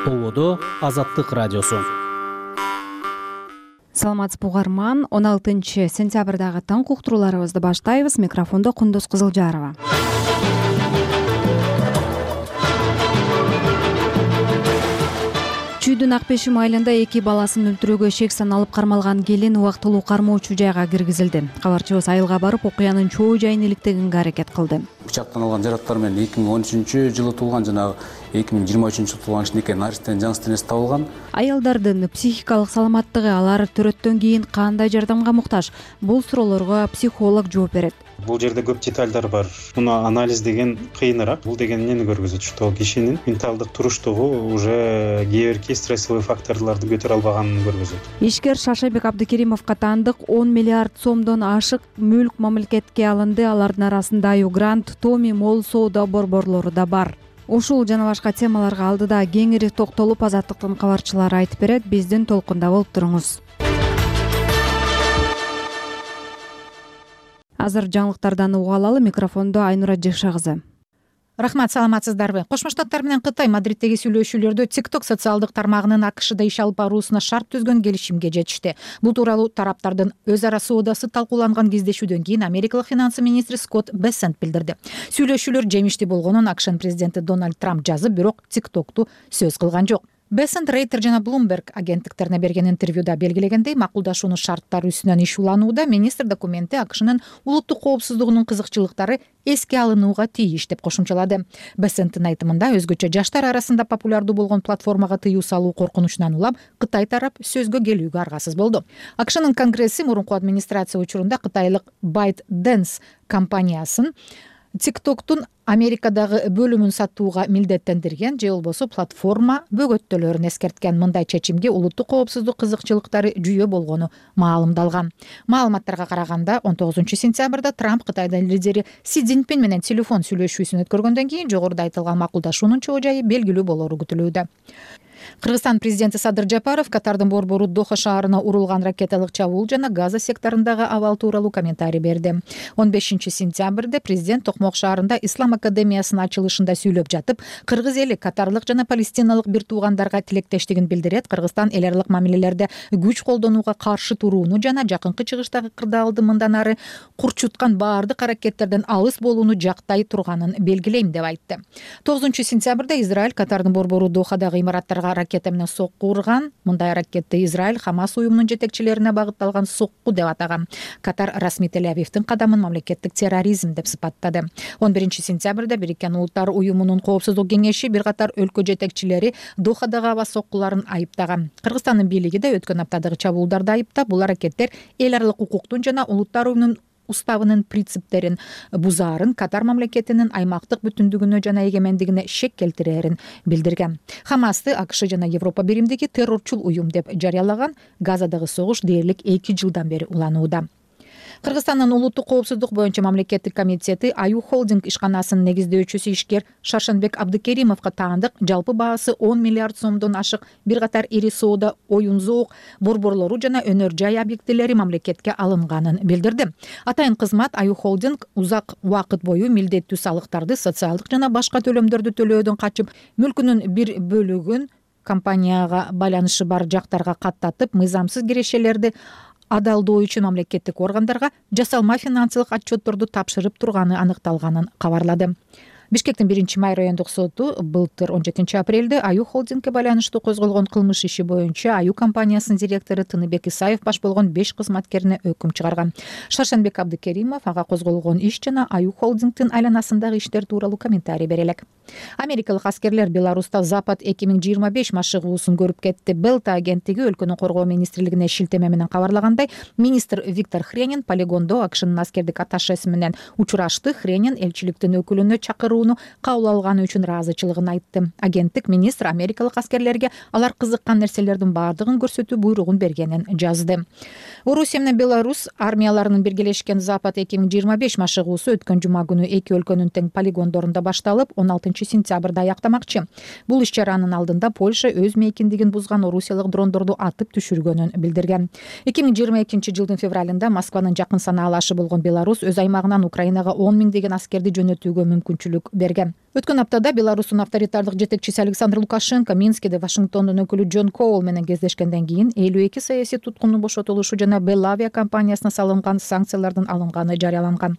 Ободо Азаттык радиосу. Саламатсызбы угарман, 16-сентябрдагы таң уктурууларыбызды баштайбыз. Микрофондо Кундуз Кызылжарова. Чүйдүн Акбешим айылында 2 баласын өлтүрүүгө шек саналып кармалган келин убактылуу кармоочу жайга киргизилди. Кабарчыбыз айылга барып, окуянын чоо жайын иликтегенге аракет кылды. Бычактан алган жараттар менен 2013-жылы туулган жана 2023-жылы туулган кичинекей наристен жаңсы денеси табылган. Аялдардын психикалык саламаттыгы, алар төрөттөн кийин кандай жардамга муктаж? Бул суроолорго психолог жооп берет. Бул жерде көп детальдар бар. Муну анализ деген кыйыныраак. Бул деген эмнени көргөзөт? Что кишинин менталдык туруштугу уже кээ бирки стрессовый факторлорду көтөрө албаганын көргөзөт. Ишкер Шашабек Абдыкеримовго таандык 10 миллиард сомдон ашык мүлк мамлекетке алынды. Алардын арасында Аюгрант, Томи Мол соода борборлору да бар. Ушул жана башка темаларга алдыда кеңири токтолуп, Азаттыктын кабарчылары айтып берет. Биздин толкунда болуп туруңуз. Азыр жаңылыктардан уга алалы. Микрофондо Айнура Жекша кызы. Рахмат, саламатсыздарбы? Кошмо Штаттар менен Кытай Мадриттеги сүйлөшүүлөрдө TikTok социалдык тармагынын АКШда иш алып баруусуна шарт түзгөн келишимге жетишти. Бул тууралуу тараптардын өз ара соодасы талкууланган кездешүүдөн кийин Америкалык финансы министри Скотт Бессент билдирди. Сүйлөшүүлөр жемиштүү болгонун АКШнын президенти Дональд Трамп жазып, бирок TikTok'ту сөз кылган жок. Бессент Рейтер жана Bloomberg агенттиктерине берген интервьюда белгилегендей, макулдашуунун шарттары үстүнөн иш уланууда министр документи АКШнын улуттук коопсуздугунун кызыкчылыктары эске алынууга тийиш деп кошумчалады. Бессенттин айтымында, өзгөчө жаштар арасында популярдуу болгон платформага тыюу салуу коркунучунан улам Кытай тарап сөзгө келүүгө аргасыз болду. АКШнын Конгресси мурунку администрация учурунда кытайлык ByteDance компаниясын TikTok'тун Америкадагы бөлүмүн сатууга милдеттендирген, же болбосо платформа бөгөттөлөрүн эскерткен. Мындай чечимге улуттук коопсуздук кызыкчылыктары жүйө болгону маалымдалган. Маалыматтарга караганда, 19-сентябрда Трамп Кытайдын лидери Си Цзиньпин менен телефон сүйлөшүүсүн өткөргөндөн кийин жогоруда айтылган макулдашуунун чоо жайы белгилүү болору күтүлүүдө. Кыргызстан президенти Садыр Жапаров Катардын борбору Доха шаарына урулган ракеталык чабуул жана Газа секторундагы абал тууралуу комментарий берди. 15-сентябрда президент Токмок шаарында Ислам академиясынын ачылышында сүйлөп жатып, кыргыз эли катарлык жана палестиналык бир туугандарга тилектештигин билдирет. Кыргызстан эл аралык мамилелерде күч колдонууга каршы турууну жана жакынкы чыгыштагы кырдаалды мындан ары курчуткан баардык аракеттерден алыс болууну жактай турганын белгилейм деп айтты. 9-сентябрда Израиль Катардын борбору Дохадагы имараттарга ракета менен сокку урган. Мындай аракетти Израиль Хамас уюмунун жетекчилерине багытталган сокку деп атаган. Катар расмий Тель-Авивдин кадамын мамлекеттик терроризм деп сыпаттады. 11-сентябрда Бириккен Улуттар уюмунун коопсуздук кеңеши бир катар өлкө жетекчилери Дохадагы аба соккуларын айыптаган. Кыргызстандын бийлиги да өткөн аптадагы чабуулдарды айыптап, бул аракеттер эл аралык укуктун жана Улуттар уюмунун уставынын принциптерин бузаарын, Катар мамлекетинин аймактык бүтүндүгүнө жана эгемендигине шек келтирээрин билдирген. Хамасты АКШ жана Европа биримдиги террорчул уюм деп жарыялаган. Газадагы согуш дээрлик 2 жылдан бери уланууда. Кыргызстандын улуттук коопсуздук боюнча мамлекеттик комитети Аю Холдинг ишканасынын негиздөөчүсү ишкер Шаршенбек Абдыкеримовго таандык жалпы баасы 10 миллиард сомдон ашык бир катар ири соода, оюн-зоок борборлору жана өнөр жай объектилери мамлекетке алынганын билдирди. Атайын кызмат Аю Холдинг узак убакыт бою милдеттүү салыктарды, социалдык жана башка төлөмдөрдү төлөөдөн качып, мүлкүнүн бир бөлүгүн компанияга байланышы бар жактарга каттатып, мыйзамсыз кирешелерди адалдоо үчүн мамлекеттик органдарга жасалма финансылык отчетторду тапшырып турганы аныкталганын кабарлады. Бишкектин 1-май райондук соту былтыр 17-апрелде Аю Холдингге байланыштуу козголгон кылмыш иши боюнча Аю компаниясынын директору Тыныбек Исаев баш болгон 5 кызматкерине өкүм чыгарган. Шаршенбек Абдыкеримов ага козголгон иш жана Аю Холдингдин айланасындагы иштер тууралуу комментарий бере элек. Америкалык аскерлер Беларуста Запад 2025 машыгуусун көрүп кетти. Белта агенттиги өлкөнүн коргоо министрлигине шилтеме менен кабарлагандай, министр Виктор Хренин полигондо АКШнын аскердик атташеси менен учурашты. Хренин элчиликтин өкүлүнө чакырууну кабыл алганы үчүн ыраазычылыгын айтты. Агенттик министр америкалык аскерлерге алар кызыккан нерселердин баардыгын көрсөтүү буйругун бергенин жазды. Орусия менен Беларусь армияларынын биргелешкен Запад 2025 машыгуусу өткөн жума күнү эки өлкөнүн тең полигондорунда башталып, 16-сентябрда аяктамакчы. Бул иш чаранын алдында Польша өз мейкиндигин бузган орусиялык дрондорду атып түшүргөнүн билдирген. 2022 жылдын февралында Москванын жакын санаалашы болгон Беларусь өз аймагынан Украинага 10 миңдеген аскерди жөнөтүүгө мүмкүнчүлүк берген. Өткөн аптада Беларустун авторитардык жетекчиси Александр Лукашенко Минскиде Вашингтондун өкүлү Джон Коул менен кездешкенден кийин 52 саясий туткундун бошотулушу жана Белавия компаниясына салынган санкциялардын алынганы жарыяланган.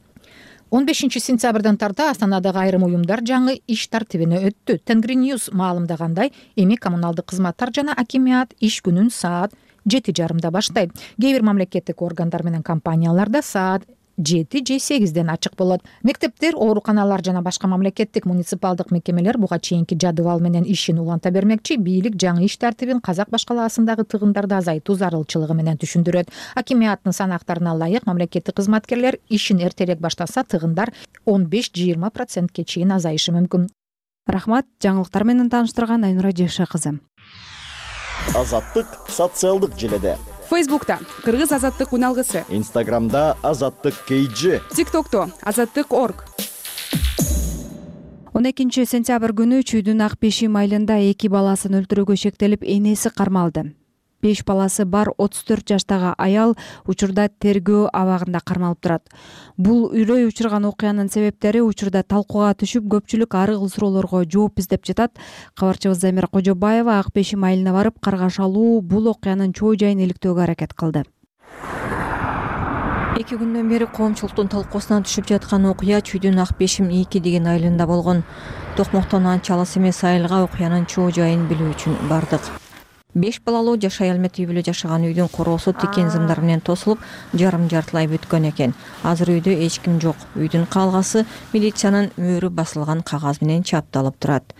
15-сентябрдан тарта Астанадагы айрым уюмдар жаңы иш тартибине өттү. Тенгриньюз маалымдагандай, эми коммуналдык кызматтар жана акимиат иш күнүн саат 7:30 баштайт. Кээ бир мамлекеттик органдар менен компанияларда саат 7 же 8ден ачык болот. Мектептер, ооруканалар жана башка мамлекеттик муниципалдык мекемелер буга чейинки жадыбал менен ишин уланта бермекчи. Бийлик жаңы иш тартибин казак башкалаасындагы тыгындарды азайтуу зарылчылыгы менен түшүндүрөт. Акимиаттын санактарына ылайык мамлекеттик кызматкерлер ишин эртерээк баштаса, тыгындар 15-20%ке чейин азайышы мүмкүн. Рахмат, жаңылыктар менен тааныштырган Айнура Жекше кызы. Азаттык социалдык желеде. Фейсбукта Кыргыз азаттык уналгысы, Инстаграмда Азаттык KG, ТикТокто Азаттык.org. 12-сентябрь күнү Чүйдүн Ак Бешим айылында 2 баласын өлтүрүүгө шектелип энеси кармалды. 5 баласы бар 34 жаштагы аял учурда тергөө абагында кармалып турат. Бул үрөй учурган окуянын себептери учурда талкууга түшүп, көпчүлүк ар кыл суроолорго жооп издеп жатат. Кабарчыбыз Замира Кожобаева Ак Бешим айылына барып, каргаш алуу бул окуянын чоо жайын иликтөөгө аракет кылды. 2 күндөн бери коомчулуктун талкуусуна түшүп жаткан окуя Чүйдүн Ак Бешим 2 деген айылында болгон. Токмоктон анча алыс эмес айылга окуянын чоо жайын билүү үчүн бардык. 5 балалуу жаш аял менен үй бүлө жашаган үйдүн короосу тикен зымдар менен тосулуп, жарым-жартылай бүткөн экен. Азыр үйдө эч ким жок. Үйдүн калгасы милициянын мөөрү басылган кагаз менен чапталып турат.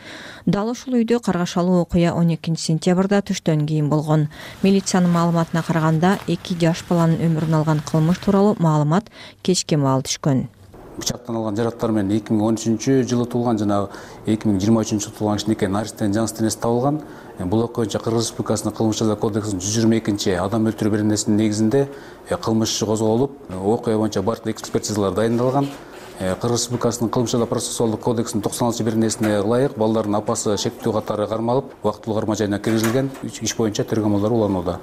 Дал ушул үйдө каргашалуу окуя 12-сентябрда түштөн кийин болгон. Милициянын маалыматына караганда 2 жаш баланын өмүрүн алган кылмыш тууралуу маалымат кечке маал түшкөн. Бычактан алган жараттар менен 2013-жылы туулган жана 2023-жылы туулган кичинекей наристен жаңы денеси табылган. Бул окуя боюнча Кыргыз Республикасынын кылмыш жаза кодексинин 122 адам өлтүрүү беренесинин негизинде кылмыш иши козголуп, окуя боюнча бардык экспертизалар дайындалган. Кыргыз Республикасынын кылмыш жаза процессуалдык кодексинин 96-беренесине ылайык балдардын апасы шектүү катары кармалып, убактылуу карма жайына киргизилген. Иш боюнча тергөө амалдары уланууда.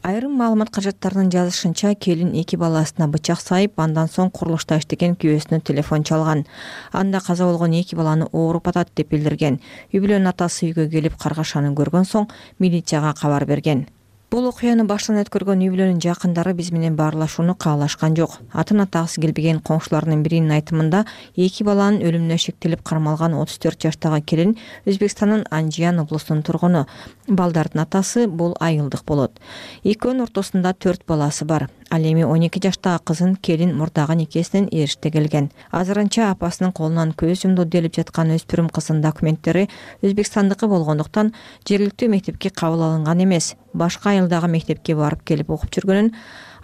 Айрым маалымат каражаттарынын жазышынча, келин 2 баласына бычак сайып, андан соң курулушта иштеген күйөөсүнө телефон чалган. Анда каза болгон 2 баланы ооруп атат деп билдирген. Үй бүлөнүн атасы үйгө келип каргашаны көргөн соң милицияга кабар берген. Бул окуяны баштан өткөргөн үй бүлөнүн жакындары биз менен баарлашууну каалашкан жок. Атын атагысы келбеген коңшулардын биринин айтымында 2 баланын өлүмүнө шектелип кармалган 34 жаштагы келин Өзбекстандын Анжиян облусунун тургуну. Балдардын атасы бул айылдык болот. Экөөнүн ортосунда 4 баласы бар. Ал эми 12 жаштагы кызын келин мурдагы никесинен эриште келген. Азырынча апасынын колунан көз жумду делип жаткан өспүрүм кыздын документтери Өзбекстандыкы болгондуктан жергиликтүү мектепке кабыл алынган эмес. Башка айылдагы мектепке барып келип окуп жүргөнүн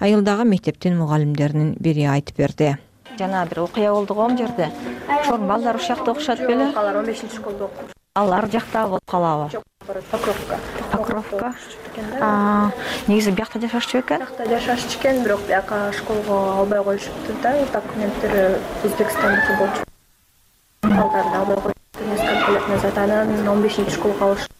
айылдагы мектептин мугалимдеринин бири айтып берди. Жана бир окуя болду го жерде. Ошол балдар ушул жакта окушат беле? Алар 15-школдо окуйт. Алар жакта болуп калабы? Жок, Покровка. Покровка. Негизи биякта жашашчу экен? Биякта жашашчу экен, бирок бияка школго албай коюшупту да, документтери Өзбекстандыкы болчу. Балдарды албай коюшупту, несколько лет назад анан 15-школго алышты.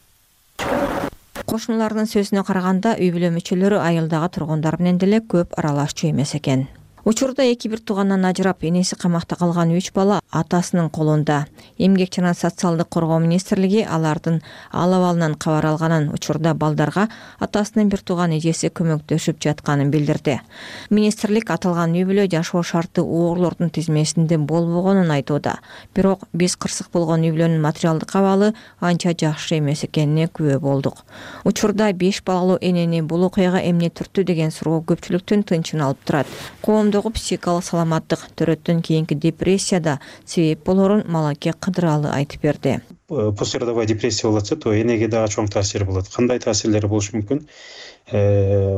Кошуналардын сөзүнө караганда, үй бүлө мүчөлөрү айылдагы тургундар менен деле көп аралашчу эмес экен. Учурда 2 туугандан ажырап, энеси камакта калган 3 бала атасынын колунда. Эмгек жана социалдык коргоо министрлиги алардын ал абалынан кабар алганын, учурда балдарга атасынын бир тууган эжеси көмөктөшүп жатканын билдирди. Министрлик аталган үй бүлө жашоо шарты оорлордун тизмесинде болбогонун айтууда. Бирок биз кырсык болгон үй бүлөнүн материалдык абалы анча жакшы эмес экенине күбө болдук. Учурда 5 балалуу энени бул окуяга эмне түрттү деген суроо көпчүлүктүн тынчын алып турат. Психикалык саламаттык, төрөттөн кийинки депрессияда себеп болорун Малаке Кыдыралы айтып берди. Послеродовая депрессия болот, то энеге дагы чоң таасир болот. Кандай таасирлери болушу мүмкүн?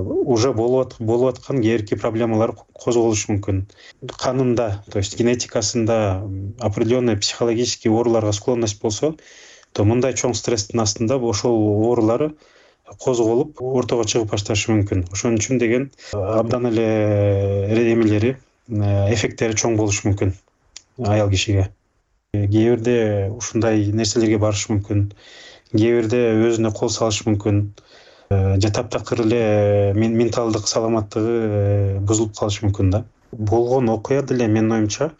Уже болуп аткан кээ проблемалар козголушу мүмкүн. Канында, то есть генетикасында определенный психологический ооруларга склонность болсо, то мындай чоң стресстин астында ошол оорулары козголуп, ортого чыгып башташы мүмкүн. Ошон үчүн деген абдан эле эмелери, эффекттери чоң болушу мүмкүн аял кишиге. Кээ бирде ушундай нерселерге барышы мүмкүн. Кээ бирде өзүнө кол салышы мүмкүн. Же таптакыр эле менталдык саламаттыгы бузулуп калышы мүмкүн да. Болгон окуя деле менин оюмча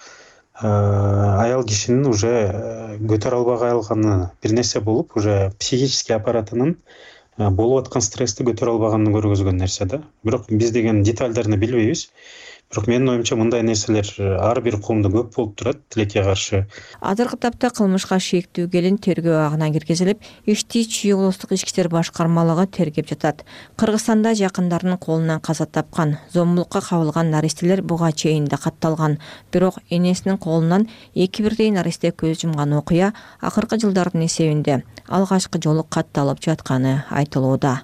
аял кишинин уже көтөрө албай калганы бир нерсе болуп, уже психический аппаратынын болуп аткан стрессти көтөрө албаганын көргөзгөн нерсе да. Бирок биз деген детальдерни билбейбиз. Бирок менин оюмча мындай нерселер ар бир коомдо көп болуп турат тилекке каршы. Азыркы тапта кылмышка шектүү келин тергөө агына киргизилип, ишти Чүй облустук ички иштер башкармалыгы тергеп жатат. Кыргызстанда жакындарынын колунан каза тапкан, зомбулукка кабылган наристелер буга чейин да катталган. Бирок энесинин колунан 2 бирдей наристе көз жумган окуя акыркы жылдардын эсебинде алгачкы жолу катталып жатканы айтылууда.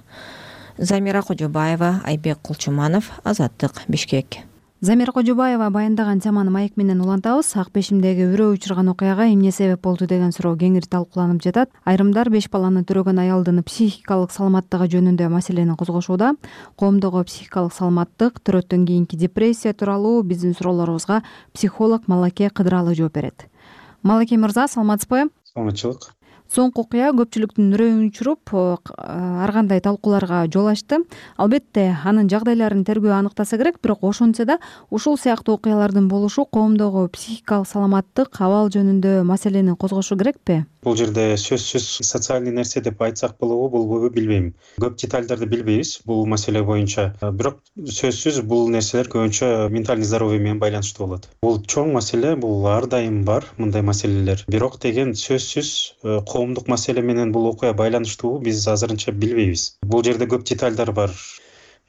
Замира Кожобаева, Айбек Кулчуманов, Азаттык, Бишкек. Замира Кожобаева баяндаган теманы маек менен улантабыз. Ак Бешимдеги үрөө учурган окуяга эмне себеп болду деген суроо кеңири талкууланып жатат. Айрымдар 5 баланы төрөгөн аялдын психикалык саламаттыгы жөнүндө маселени козгошууда. Коомдогу психикалык саламаттык, төрөттөн кийинки депрессия тууралуу биздин суроолорубузга психолог Малаке Кыдыралы жооп берет. Малаке мырза, саламатсызбы? Саламатчылык. Соңку окуя көпчүлүктүн үрөйүн учуруп, ар кандай талкууларга жол ачты. Албетте, анын жагдайларын тергөө аныктаса керек, бирок ошентсе да ушул сыяктуу окуялардын болушу коомдогу психикалык саламаттык, абал жөнүндө маселени козгошу керекпи? Бул жерде сөзсүз социальный нерсе деп айтсак болобу, болбойбу билбейм. Көп детальдарды билбейбиз бул маселе боюнча. Бирок сөзсүз бул нерселер көбүнчө ментальный здоровье менен байланыштуу болот. Бул чоң маселе, бул ар дайым бар мындай маселелер. Бирок деген сөзсүз коомдук маселе менен бул окуя байланыштуу биз азырынча билбейбиз. Бул жерде көп детальдар бар.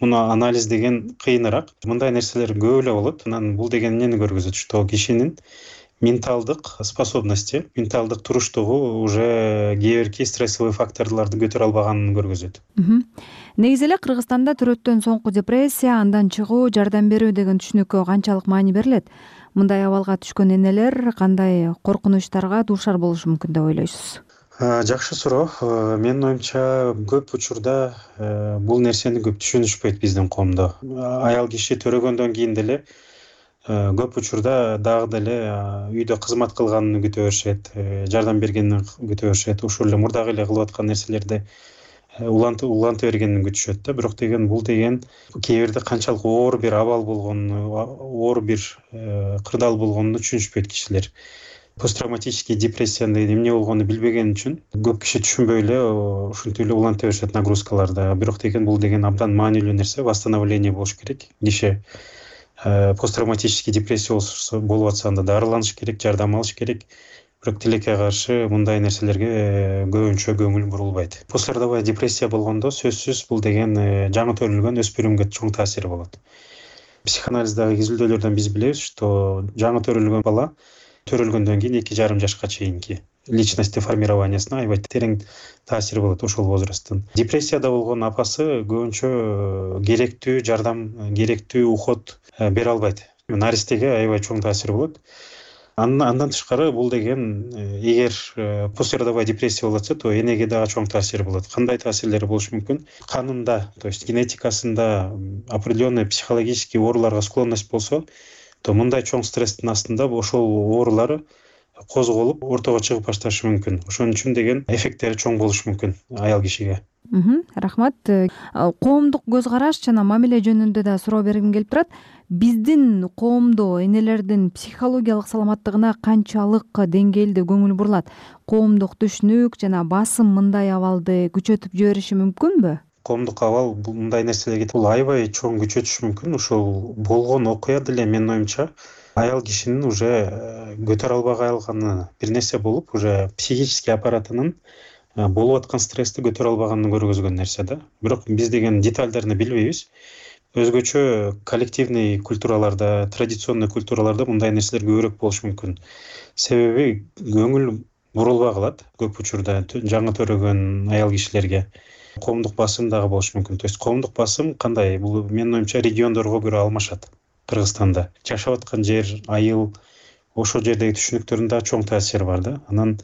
Муну анализ деген кыйыныраак. Мындай нерселер көп эле болот. Анан бул деген эмнени көргөзөт? Что кишинин менталдык способности, менталдык туруштугу уже кээ бирки стрессовый факторлорду көтөрө албаганын көргөзөт. Негизи эле Кыргызстанда төрөттөн соңку депрессия, андан чыгуу, жардам берүү деген түшүнүккө канчалык маани берилет? Мындай абалга түшкөн энелер кандай коркунучтарга дуушар болушу мүмкүн деп ойлойсуз? Жакшы суроо. Менин оюмча көп учурда бул нерсени көп түшүнүшпөйт биздин коомдо. Аял киши төрөгөндөн кийин деле көп учурда дагы деле үйдө кызмат кылганын күтө беришет, жардам бергенин күтө беришет, ушул эле мурдагы эле кылып аткан нерселерди уланта бергенин күтүшөт да. Бирок деген бул деген кээ бирде канчалык оор бир абал болгонун, оор бир кырдаал болгонун түшүнүшпөйт кишилер. Посттравматический депрессиянын эмне болгонун билбеген үчүн көп киши түшүнбөй эле ушинтип эле уланта беришет нагрузкаларда. Бирок деген бул деген абдан маанилүү нерсе, восстановление болуш керек. Киши посттравматический депрессия болуп атса анда дарыланыш керек, жардам алыш керек. Бирок тилекке каршы мындай нерселерге көбүнчө көңүл бурулбайт. Послеродовая депрессия болгондо сөзсүз бул деген жаңы төрөлгөн өспүрүмгө чоң таасири болот. Психоанализдagi изилдөөлөрдөн биз билебиз, что жаңы төрөлгөн бала төрөлгөндөн кийин 2,5 жашка чейинки личности формированиясына аябай терең таасири болот ошол возрасттын. Депрессияда болгон апасы көбүнчө керектүү жардам, керектүү уход бере албайт. Наристеге аябай чоң таасири болот. Андан тышкары бул деген эгер послеродовая депрессия болот, то энеге дагы чоң таасири болот. Кандай таасирлери болушу мүмкүн? Канында, то есть генетикасында определенный психологический ооруларга склонность болсо, то мындай чоң стресстин астында ошол оорулар козголуп ортого чыгып башташы мүмкүн. Ошон үчүн деген эффекттери чоң болушу мүмкүн аял кишиге. Рахмат. Коомдук көз караш жана мамиле жөнүндө да суроо бергим келип турат. Биздин коомдо энелердин психологиялык саламаттыгына канчалык деңгээлде көңүл бурулат? Коомдук түшүнүк жана басым мындай абалды күчөтүп жибериши мүмкүнбү? Коомдук абал мындай нерселерге бул аябай чоң күчөтүшү мүмкүн. Ушул болгон окуя деле менин оюмча аял кишинин уже көтөрө албай калганы бир нерсе болуп, уже психический аппаратынын болуп аткан стрессти көтөрө албаганын көргөзгөн нерсе да. Бирок биз деген детальдерни билбейбиз. Өзгөчө коллективный культураларда, традиционный культураларда мындай нерселер көбүрөөк болушу мүмкүн. Себеби көңүл бурулбай калат көп учурда жаңы төрөгөн аял кишилерге. Коомдук басым дагы болушу мүмкүн. То есть коомдук басым кандай? Бул менин оюмча региондорго көрө алмашат. Кыргызстанда жашап аткан жер, айыл, ошол жердеги түшүнүктөрүн чоң таасири бар да. Анан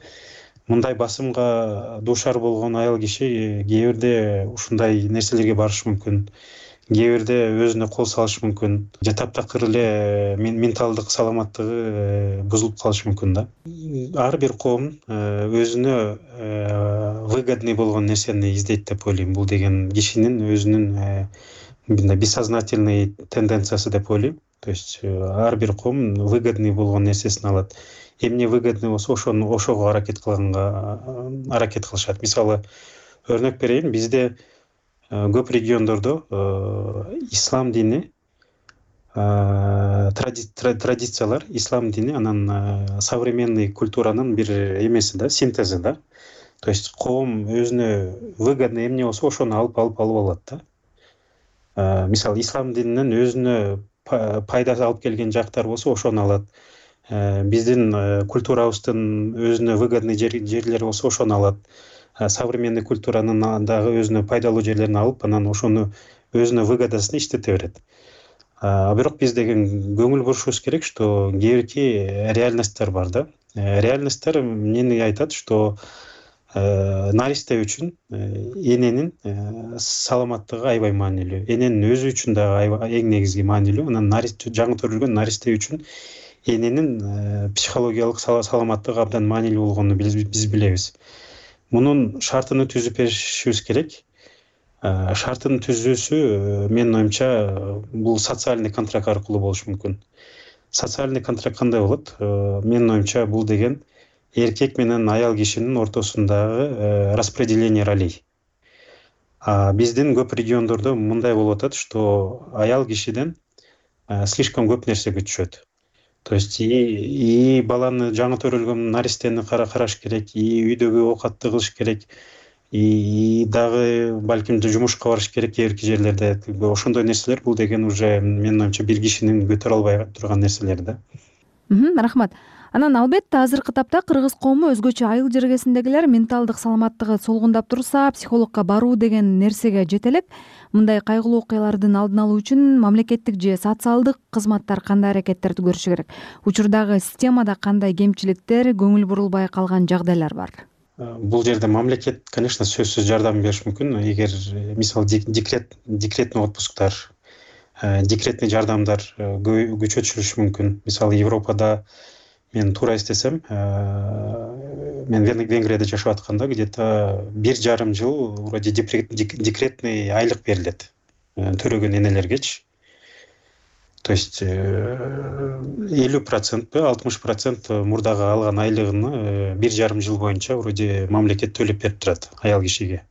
мындай басымга дуушар болгон аял киши кээ бирде ушундай нерселерге барышы мүмкүн. Кээ бирде өзүнө кол салышы мүмкүн. Же таптакыр эле менталдык саламаттыгы бузулуп калышы мүмкүн да. Ар бир коом өзүнө выгодный болгон нерсени издейт деп ойлойм. Бул деген кишинин өзүнүн бессознательный тенденциясы деп ойлойм. То есть ар бир коом выгодный болгон нерсесин алат. Эмне выгодный болсо ошого аракет кылышат. Мисалы өрнөк берейин, бизде көп региондордо ислам дини, традициялар, ислам дини анан современный культуранын бир эмеси да, синтези да. То есть коом өзүнө выгодный эмне болсо ошону алып алат да. Мисалы ислам дининен өзүнө пайда алып келген жактар болсо ошону алат. Биздин культурабыздын өзүнө выгодный жерлери болсо ошону алат. Современный культуранын дагы өзүнө пайдалуу жерлерин алып, анан ошону өзүнө выгодасын иштете берет. Бирок биз деген көңүл бурушубуз керек, что кээки реальностьтер бар да. Реальностьтер эмнени айтат, что наристе үчүн эненин саламаттыгы аябай маанилүү. Эненин өзү үчүн дагы эң негизги маанилүү. Анан жаңы төрөлгөн наристе үчүн эненин психологиялык саламаттыгы абдан маанилүү болгонун биз билебиз. Мунун шартын түзүп беришибиз керек. Шартын түзүүсү менин оюмча бул социальный контракт аркылуу болушу мүмкүн. Социальный контракт кандай болот? Менин оюмча бул деген эркек менен аял кишинин ортосундагы распределение ролей. Биздин көп региондордо мындай болуп атат, что аял кишиден слишком көп нерсе күтүшөт. То есть и баланы жаңы төрөлгөн наристени караш керек, и үйдөгү оокатты кылыш керек, и дагы балким жумушка барыш керек кээ жерлерде. Ошондой нерселер бул деген уже менин оюмча бир кишинин көтөрө албай турган нерселер да. Рахмат. Анан албетте азыркы тапта кыргыз коому өзгөчө айыл жергесиндегилер менталдык саламаттыгы солгундап турса, психологко баруу деген нерсеге жете элек. Мындай кайгылуу окуялардын алдын алуу үчүн мамлекеттик же социалдык кызматтар кандай аракеттерди көрүшү керек? Учурдагы системада кандай кемчиликтер, көңүл бурулбай калган жагдайлар бар? Бул жерде мамлекет, конечно, сөзсүз жардам бериш мүмкүн. Эгер мисалы декретный отпусктар, декретный жардамдар күчөтүлүшү мүмкүн. Мисалы Европада мен туура эстесем, мен Венгрияда жашап атканда где-то 1,5 жыл вроде декретный айлык берилет төрөгөн энелергечи. То есть 50% 60% мурдагы алган айлыгын 1,5 жыл боюнча вроде мамлекет төлөп берип турат аял кишиге.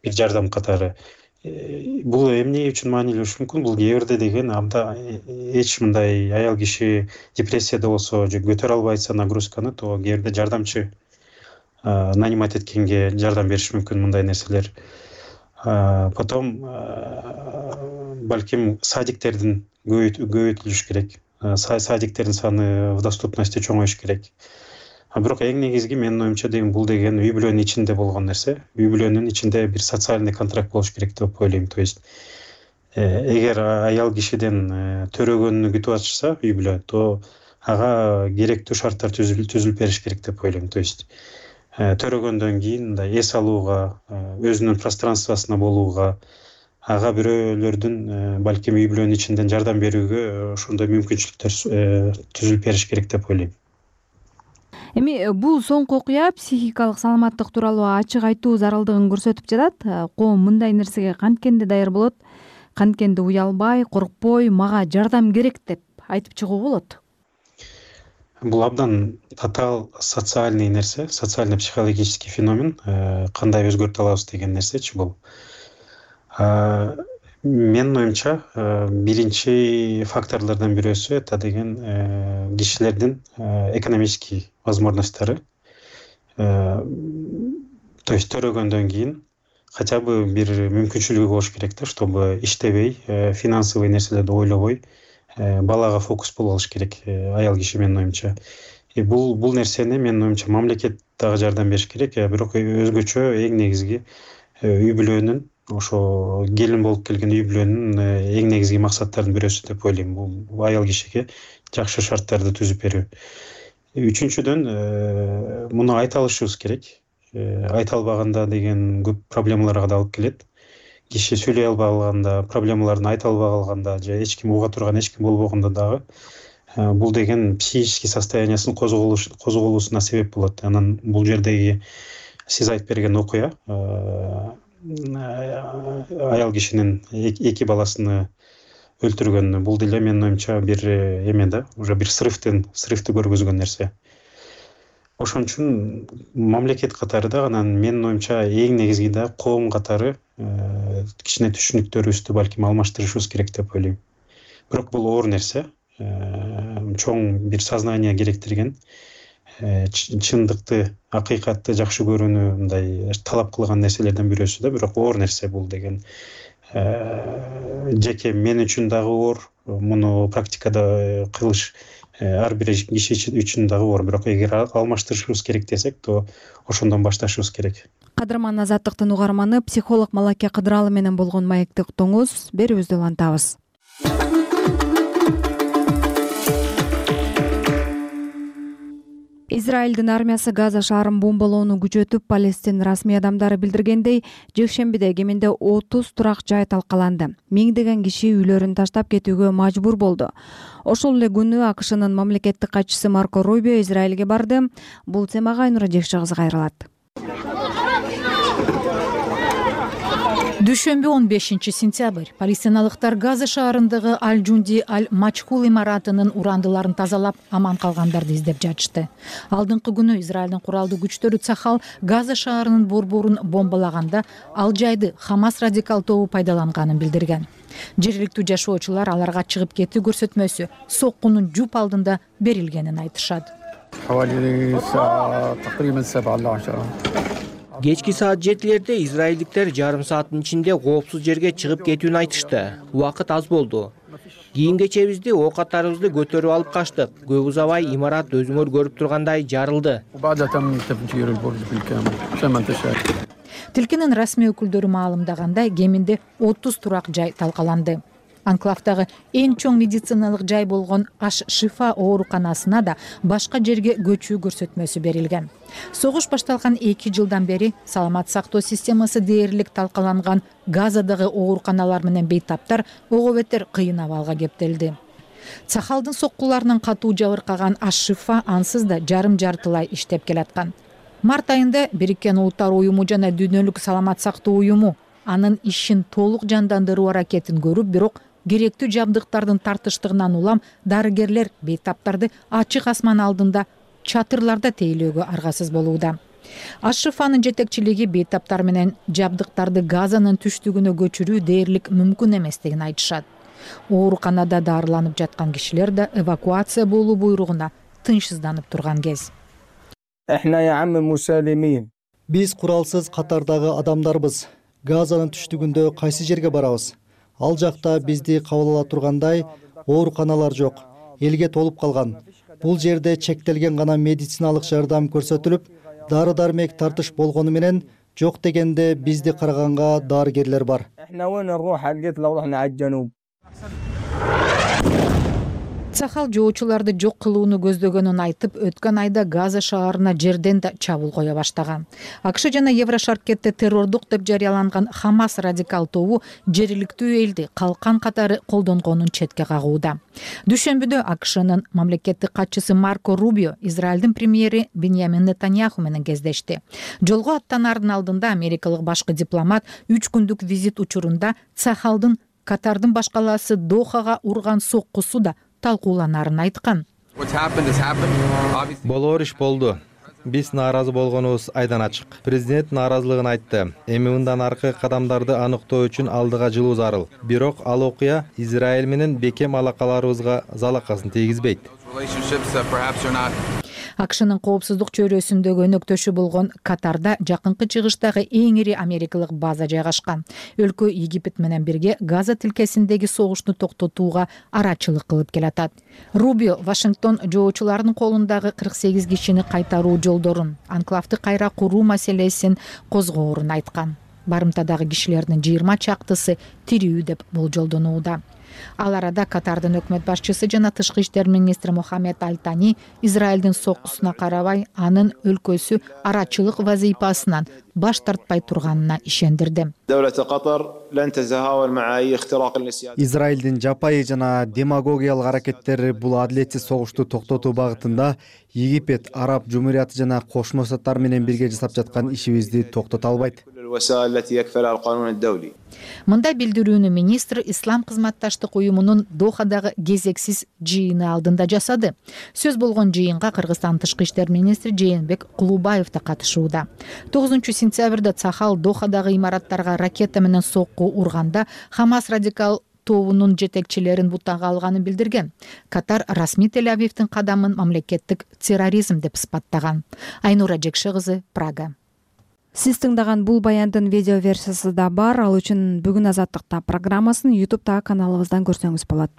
Бир жардам катары. Бул эмне үчүн маанилүү болушу мүмкүн? Бул кээ бирде деген эч мындай аял киши депрессияда болсо же көтөрө албайса нагрузканы, то кээ бирде жардамчы нанимать эткенге жардам бериш мүмкүн мындай нерселер. Потом балким садиктердин көбөйтүлүш керек. Садиктердин саны в доступности чоңоюш керек. Бирок эң негизги менин оюмча деген бул деген үй бүлөнүн ичинде болгон нерсе. Үй бүлөнүн ичинде бир социальный контракт болуш керек деп ойлойм. То есть эгер аял кишиден төрөгөнү күтүп атышса үй бүлө, то ага керектүү шарттар түзүлүп бериш керек деп ойлойм. То есть төрөгөндөн кийин мындай эс алууга, өзүнүн пространствосуна болууга, ага бирөөлөрдүн балким үй бүлөнүн ичинден жардам берүүгө ошондой мүмкүнчүлүктөр түзүлүп бериш керек деп ойлойм. Эми бул соңку окуя психикалык саламаттык тууралуу ачык айтуу зарылдыгын көрсөтүп жатат. Коом мындай нерсеге канткенде даяр болот, канткенде уялбай, коркпой, мага жардам керек деп айтып чыгуу болот. Бул абдан татаал социальный нерсе, социально-психологический феномен. Кандай өзгөртө алабыз деген нерсечи бул. Менин оюмча биринчи факторлордон бирөөсү это деген кишилердин экономический возможностьтары. То есть төрөгөндөн кийин хотя бы бир мүмкүнчүлүгү болуш керек да, чтобы иштебей, финансовый нерселерди ойлобой, балага фокус болуп алыш керек аял киши менин оюмча. Бул нерсени менин оюмча мамлекет дагы жардам бериш керек, бирок өзгөчө эң негизги үй бүлөнүн, ошо келин болуп келген үй бүлөнүн эң негизги максаттарынын бирөөсү деп ойлойм. Бул аял кишиге жакшы шарттарды түзүп берүү. Үчүнчүдөн муну айта алышыбыз керек. Айта албаганда деген көп проблемаларга да алып келет. Киши сүйлөй албаганда, проблемаларын айта албай калганда же эч ким уга турган эч ким болбогондо дагы бул деген психический состояниясынын козголуусуна себеп болот. Анан бул жердеги сиз айтып берген окуя аял кишинин эки баласыны өлтүргөн, бул деле менин оюмча бир эме да, уже бир срывды көргөзгөн нерсе. Ошон үчүн мамлекет катары да, анан менин оюмча эң негизги да коом катары кичине түшүнүктөрүбүздү балким алмаштырышыбыз керек деп ойлойм. Бирок бул оор нерсе, чоң бир сознание керектирген, чындыкты, акыйкатты жакшы көрүүнү мындай талап кылган нерселерден бирөөсү да, бирок оор нерсе бул деген. Жеке мен үчүн дагы оор, муну практикада кылыш ар бир киши үчүн дагы оор, бирок эгер алмаштырышыбыз керек десек, то ошондон башташыбыз керек. Кадырман Азаттыктын угарманы психолог Малаке Кыдыралы менен болгон маекти уктуңуз, берүүбүздү улантабыз. Израилдин армиясы Газа шаарын бомбалоону күчөтүп, Палестин расмий адамдары билдиргендей, жекшембиде кеминде 30 турак жай талкаланды. Миңдеген киши үйлөрүн таштап кетүүгө мажбур болду. Ошол эле күнү АКШнын мамлекеттик катчысы Марко Рубио Израилге барды. Бул темага Айнура Жекшегиз кайрылат. Дүйшөмбү 15-сентябрь палестиналыктар Газа шаарындагы Аль-Джунди Аль-Мачхул имаратынын урандыларын тазалап, аман калгандарды издеп жатышты. Алдыңкы күнү Израилдин куралдуу күчтөрү Цахал Газа шаарынын борборун бомбалаганда ал жайды Хамас радикал тобу пайдаланганын билдирген. Жергиликтүү жашоочулар аларга чыгып кетүү көрсөтмөсү соккунун жуп алдында берилгенин айтышат. Кечки саат 7-лерде израилдиктер жарым сааттын ичинде коопсуз жерге чыгып кетүүнү айтышты. Убакыт аз болду. Кийим-кечебизди, оокаттарыбызды көтөрүп алып качтык. Көп узабай имарат өзүңөр көрүп тургандай жарылды. Тилкинин расмий өкүлдөрү маалымдагандай, кеминде 30 турак жай талкаланды. Анклавдагы эң чоң медициналык жай болгон Аш-Шифа ооруканасына да башка жерге көчүү көрсөтмөсү берилген. Согуш башталган 2 жылдан бери саламат сактоо системасы дээрлик талкаланган Газадагы ооруканалар менен бейтаптар ого бетер кыйын абалга кептелди. Цахалдын соккуларынын катуу жабыркаган Аш-Шифа ансыз да жарым-жартылай иштеп келаткан. Март айында Бириккен Улуттар уюму жана Дүйнөлүк саламат сактоо уюму анын ишин толук жандандыруу аракетин көрүп, бирок керектүү жабдыктардын тартыштыгынан улам дарыгерлер бейтаптарды ачык асман алдында чатырларда тейлөөгө аргасыз болууда. Аш-Шифанын жетекчилиги бейтаптар менен жабдыктарды Газанын түштүгүнө көчүрүү дээрлик мүмкүн эместигин айтышат. Ооруканада дарыланып жаткан кишилер да эвакуация болуу буйругуна тынчсызданып турган кез. Биз куралсыз катардагы адамдарбыз. Газанын түштүгүндө кайсы жерге барабыз? Ал жакта бизди кабыл ала тургандай ооруканалар жок, элге толуп калган. Бул жерде чектелген гана медициналык жардам көрсөтүлүп, дары-дармек тартыш болгону менен жок дегенде бизди караганга дарыгерлер бар. Цахал жоочуларды жок кылууну көздөгөнүн айтып, өткөн айда Газа шаарына жерден да чабуул кое баштаган. АКШ жана Еврошаркетте террордук деп жарыяланган Хамас радикал тобу жергиликтүү элди калкан катары колдонгонун четке кагууда. Дүйшөмбүдө АКШнын мамлекеттик катчысы Марко Рубио Израилдин премьери Биньямин Нетаньяху менен кездешти. Жолго аттанаардын алдында америкалык башкы дипломат 3 күндүк визит учурунда Цахалдын Катардын башкаласы Дохага урган соккусу да талкууланарын айткан. Болоор иш болду. Биз нааразы болгонубуз айдан ачык. Президент нааразылыгын айтты. Эми мындан аркы кадамдарды аныктоо үчүн алдыга жылуу зарыл. Бирок ал окуя Израиль менен бекем алакаларыбызга залакасын тийгизбейт. АКШнын коопсуздук чөйрөсүндөгү өнөктөшү болгон Катарда жакынкы чыгыштагы эң ири америкалык база жайгашкан. Өлкө Египет менен бирге Газа тилкесиндеги согушту токтотууга арачылык кылып келатат. Рубио Вашингтон жоочуларынын колундагы 48 кишини кайтаруу жолдорун, анклавды кайра куруу маселесин козгоорун айткан. Барымтадагы кишилердин 20 чактысы тирүү деп болжолдонууда. Ал арада Катардын өкмөт башчысы жана тышкы иштер министри Мохаммед Аль-Тани Израилдин соккусуна карабай, анын өлкөсү арачылык вазыйпасынан баш тартпай турганына ишендирди. Израилдин жапайы жана демагогиялык аракеттери бул адилетсиз согушту токтотуу багытында Египет, Араб Жумурияты жана Кошмо Штаттар менен бирге жасап жаткан ишибизди токтото албайт. Мындай билдирүүнү министр Ислам кызматташтык уюмунун Дохадагы кезексиз жыйыны алдында жасады. Сөз болгон жыйынга Кыргызстан тышкы иштер министри Жээнбек Кулубаев да катышууда. 9-сентябрда Цахал Дохадагы имараттарга ракета менен сокку урганда Хамас радикал тобунун жетекчилерин бутага алганын билдирген. Катар расмий Тель-Авивдин кадамын мамлекеттик терроризм деп сыпаттаган. Айнура Жекши кызы, Прага. Сиз тыңдаган бул баяндын видео версиясы да бар. Ал үчүн бүгүн Азаттыкта программасын YouTube'тагы каналыбыздан көрсөңүз болот.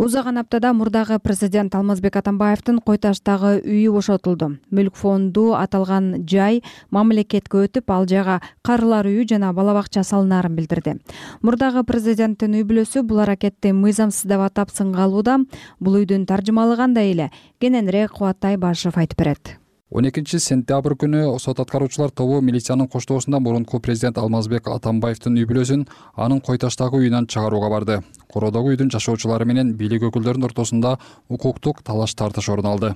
Узаган аптада мурдагы президент Алмазбек Атамбаевдин Кой Таштагы үйү бошотулду. Мүлк фонду аталган жай мамлекетке өтүп, ал жайга карылар үйү жана бала бакча салынарын билдирди. Мурдагы президенттин үй бүлөсү бул аракетти мыйзамсыз деп атап сынга алууда. Бул үйдүн таржымалыгандай эле кененирээк Кубат Айбашев айтып берет. 12-сентябрь күнү сот аткаруучулар тобу милициянын коштоосунда мурунку президент Алмазбек Атамбаевдин үй бүлөсүн анын Кой Таштагы үйүнөн чыгарууга барды. Короодогу үйдүн жашоочулары менен бийлик өкүлдөрүнүн ортосунда укуктук талаш тартыш орун алды.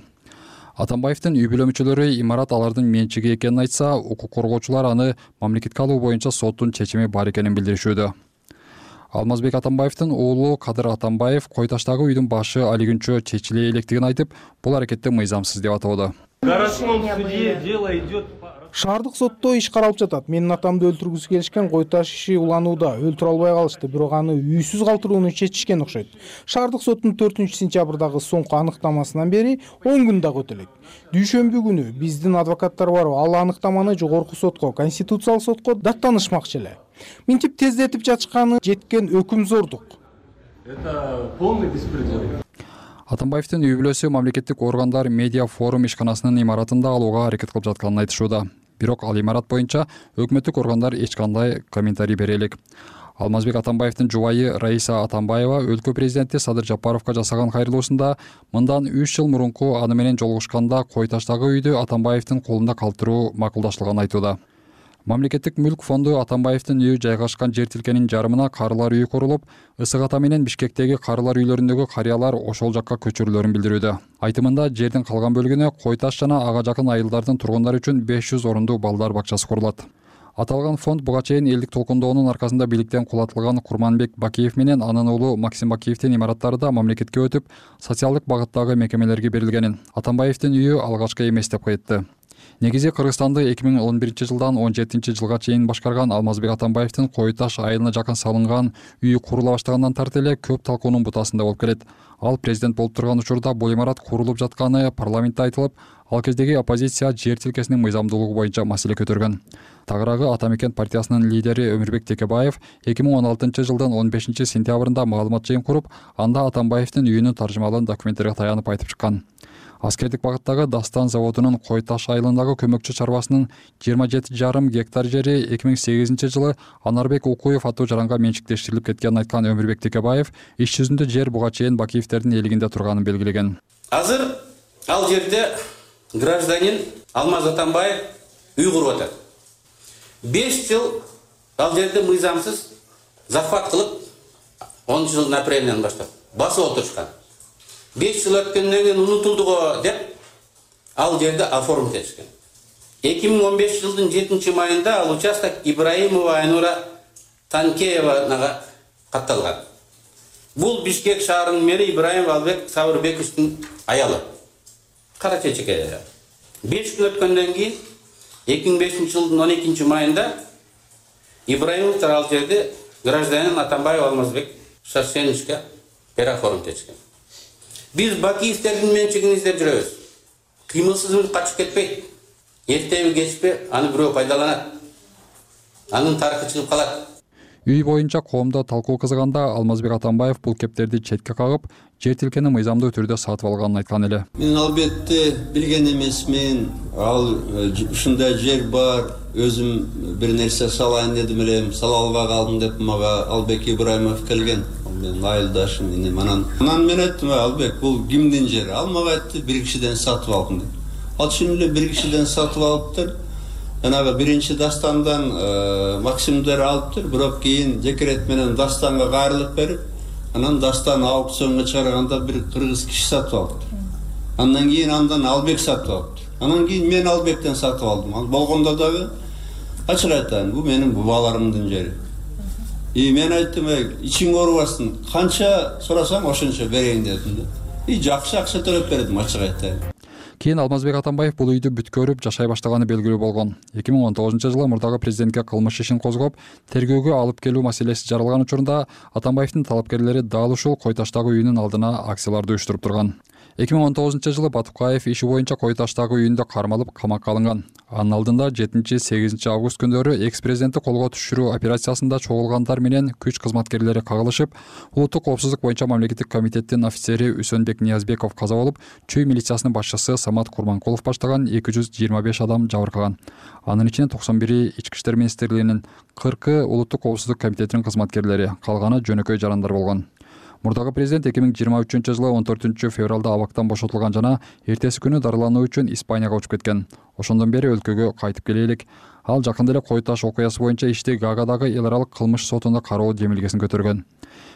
Атамбаевдин үй бүлө мүчөлөрү имарат алардын менчиги экенин айтса, укук коргоочулар аны мамлекетке алуу боюнча соттун чечими бар экенин билдиришүүдө. Алмазбек Атамбаевдин уулу Кадыр Атамбаев Кой Таштагы үйдүн башы али күнчө чечиле электигин айтып, бул аракетти мыйзамсыз деп атоодо. Шаардык сотто иш каралып жатат. Менин атамды өлтүргүсү келишкен Кой Таш иши уланууда, өлтүрө албай калышты, бирок аны үйсүз калтырууну чечишкен окшойт. Шаардык соттун 4-сентябрдагы соңку аныктамасынан бери 10 күн дагы өтөлөйт. Дүйшөмбү күнү биздин адвокаттар барып, ал аныктаманы жогорку сотко, конституциялык сотко даттанышмакчы эле. Минтип тездетип жатышканы жеткен өкүм зордук. Это полный беспредел. Атамбаевдин үй бүлөсү мамлекеттик органдар медиа форум ишканасынын имаратында алууга аракет кылып жатканын айтышууда. Бирок ал имарат боюнча өкмөттүк органдар эч кандай комментарий бере элек. Алмазбек Атамбаевдин жубайы Раиса Атамбаева өлкө президенти Садыр Жапаровго жасаган кайрылуусунда мындан 3 жыл мурунку аны менен жолугушканда Кой Таштагы үйдү Атамбаевдин колунда калтыруу макулдашылганын айтууда. Мамлекеттик мүлк фонду Атамбаевдин үйү жайгашкан жер тилкенин жарымына карылар үйү курулуп, Ысык Ата менен Бишкектеги карылар үйлөрүндөгү карыялар ошол жакка көчүрүлөрүн билдирүүдө. Айтымында жердин калган бөлүгүнө Кой Таш жана ага жакын айылдардын тургундары үчүн 500 орундуу балдар бакчасы курулат. Аталган фонд буга чейин элдик толкундоонун аркасында бийликтен кулатылган Курманбек Бакиев менен анын уулу Максим Бакиевдин имараттары да мамлекетке өтүп, социалдык багыттагы мекемелерге берилгенин Атамбаевдин үйү алгачкы эмес деп айтты. Негизи Кыргызстанды 2011 жылдан 17 жылга чейин башкарган Алмазбек Атамбаевдин Кой Таш айылына жакын салынган үйү курула баштагандан тарты эле көп талкуунун бутасында болуп келет. Ал президент болуп турган учурда бул имарат курулуп жатканы парламентте айтылып, ал кездеги оппозиция жер тилкесинин мыйзамдуулугу боюнча маселе көтөргөн. Тагыраагы Ата Мекен партиясынын лидери Өмүрбек Текебаев 2016 жылдын 15 сентябрында маалымат жыйын куруп, анда Атамбаевдин үйүнүн таржымалын документтерге таянып айтып чыккан. Аскердик багыттагы Дастан заводунун Кой Таш айылындагы көмөкчү чарбасынын 27,5 гектар жери 2008 жылы Анарбек Укуев аттуу жаранга менчиктештирилип кеткенин айткан Өмүрбек Текебаев иш жүзүндө жер буга чейин Бакиевдердин элигинде турганын белгилеген. Азыр ал жерде гражданин Алмаз Атамбаев үй куруп атат. 5 жыл ал жерде мыйзамсыз захват кылып 10 жылдын апрелинен баштап басып отурушкан. 5 жыл өткөндөн кийин унутулдуго деп ал жерде оформить этишкен. 2015 жылдын 7 майында ал участок Ибраимова Айнура Танкеевага катталган. Бул Бишкек шаарынын мэри Ибраимов Албек Сабырбековдун аялы. Кара чечеке. 5 жыл өткөндөн кийин 2005 жылдын 12 майында Ибраимовдор ал жерде гражданин Атамбаев Алмазбек Шарсеновичке переоформить этишкен. Biz Бакиевдердин менчигин издеп жүрөбүз. Кыймылсыз мүлк качып кетпейт. Эртеби кечпи аны бирөө пайдаланат. Анын тарыхы чыгып калат. Үй боюнча коомдо талкуу кызганда Алмазбек Атамбаев бул кептерди четке кагып, жер тилкени мыйзамдуу түрдө сатып алганын айткан эле. Мен албетте билген эмесмин. Ал ушундай жер бар, өзүм бир нерсе салайын дедим эле, сала албай калдым деп мага Албек Ибраимов келген. Мен айылдашым инем. Анан мен айттым, Албек, бул кимдин жери? Ал мага айтты, бир кишиден сатып алдым деп. Ал чын эле бир кишиден сатып алыптыр. жанагы биринчи дастандан максимдер алыптыр, бирок кийин декрет менен дастанга кайрылып берип, анан дастан аукционго чыгарганда бир кыргыз киши сатып алыптыр. Андан кийин андан Албек сатып алыптыр. Анан кийин мен Албектен сатып алдым. Ал болгондо дагы ачык айтайын, бул менин бабаларымдын жери. Мен айттым, ичиң оорубасын, канча сурасаң ошончо берейин дедим да. Жакшы акча төлөп бердим, ачык айтайын. Кийин Алмазбек Атамбаев бул үйдү бүткөрүп жашай баштаганы белгилүү болгон. 2019-жылы мурдагы президентке кылмыш ишин козгоп, тергөөгө алып келүү маселеси жаралган учурунда Атамбаевдин талапкерлери дал ушул Кой таштагы үйүнүн алдына акцияларды уюштуруп турган. 2019-жылы Батукаев иши боюнча Кой таштагы үйүндө кармалып камакка алынган. Анын алдында 7-8 август күндөрү экс-президентти колго түшүрүү операциясында чогулгандар менен күч кызматкерлери кагылышып, улуттук коопсуздук боюнча мамлекеттик комитеттин офицери Үсөнбек Ниязбеков каза болуп, Чүй милициясынын башчысы Самат Курманкулов баштаган 225 адам жабыркаган. Анын ичинде 91 Ички иштер министрлигинин, 40 улуттук коопсуздук комитетинин кызматкерлери, калганы жөнөкөй жарандар болгон. Мурдагы президент 2023-жылы 14 февралда абактан бошотулган жана эртеси күнү дарылануу үчүн Испанияга учуп кеткен. Ошондон бери өлкөгө кайтып келе элек. Ал жакында эле Кой таш окуясы боюнча ишти Гаагадагы эл аралык кылмыш сотунда кароо демилгесин көтөргөн.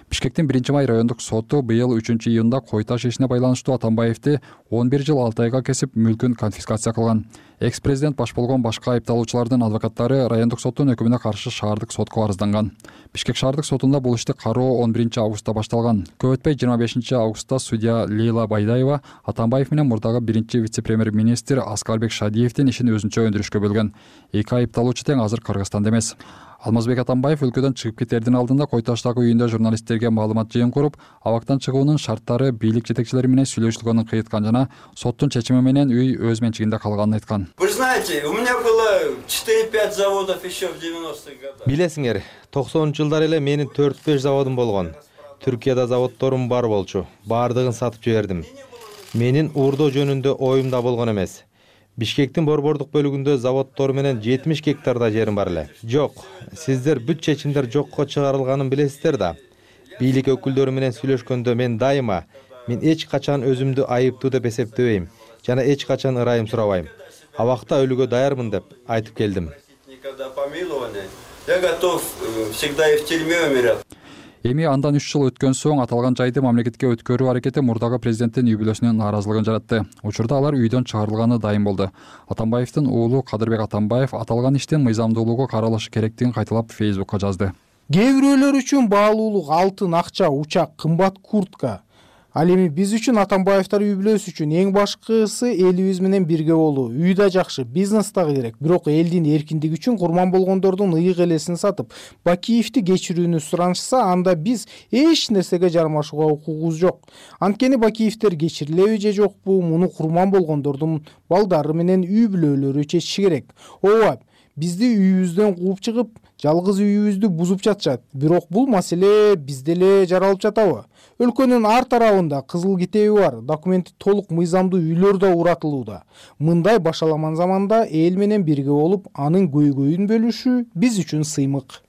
Бишкектин 1-май райондук соту быйыл 3-июнда Кой таш ишине байланыштуу Атамбаевди 11 жыл 6 айга кесип мүлкүн конфискация кылган. Экс-президент баш болгон башка айыпталуучулардын адвокаттары райондук соттун өкүмүнө каршы шаардык сотко арызданган. Бишкек шаардык сотунда бул ишти кароо 11-августта башталган. Көп өтпөй 25-августта судья Лейла Байдаева Атамбаев менен мурдагы 1-вице-премьер-министр Аскарбек Шадиевдин ишин өзүнчө өндүрүшкө бөлгөн. Эки айыпталуучу тең азыр Кыргызстанда эмес. Алмазбек Атамбаев өлкөдөн чыгып кетердин алдында Кой таштагы үйүндө журналисттерге маалымат жыйын куруп, абактан чыгуунун шарттары бийлик жетекчилери менен сүйлөшүлгөнүн кыйыткан жана соттун чечими менен үй өз менчигинде калганын айткан. Вы знаете, у меня было 4-5 заводов еще в 90-х годах. Билесиңер, 90-жылдар эле менин 4-5 заводум болгон. Түркияда заводторум бар болчу. Бардыгын сатып жибердим. Менин уурдоо жөнүндө оюм да болгон эмес. Бишкектин борбордук бөлүгүндө заводтор менен 70 гектарда жерим бар эле. Жок, сиздер бүт чечимдер жокко чыгарылганын билесиздер да. Бийлик өкүлдөрү менен сүйлөшкөндө мен эч качан өзүмдү айыптуу деп эсептебейм жана эч качан ырайым сурабайм. Абакта өлүүгө даярмын деп айтып келдим. Я готов всегда и в тюрьме умирать. Эми андан 3 жыл өткөн соң аталган жайды мамлекетке өткөрүү аракети мурдагы президенттин үй бүлөсүнүн нааразылыгын жаратты. Учурда алар үйдөн чыгарылганы дайым болду. Атамбаевдин уулу Кадырбек Атамбаев аталган иштин мыйзамдуулугу каралышы керектигин кайталап Facebook'ка жазды. Кээ бирөөлөр үчүн баалуулук алтын, акча, учак, кымбат куртка. Ал эми биз үчүн Атамбаевдер үй бүлөсү үчүн эң башкысы элибиз менен бирге болуу. Үй да жакшы, бизнес да керек. Бирок элдин эркиндиги үчүн курман болгондордун ыйык элесин сатып, Бакиевди кечирүүнү суранышса, анда биз эч нерсеге жармашууга укугубуз жок. Анткени Бакиевдер кечирилеби же жокпу, муну курман болгондордун балдары менен үй бүлөлөрү чечиши керек. Ооба, бизди үйүбүздөн кууп чыгып, жалгыз үйүбүздү бузуп жатышат. Бирок бул маселе бизде эле жаралып жатабы? Өлкөнүн ар тарабында кызыл китеби бар, документи толук мыйзамдуу үйлөр да уратылууда. Мындай башаламан заманда эл менен бирге болуп, анын көйгөйүн бөлүшүү биз үчүн сыймык.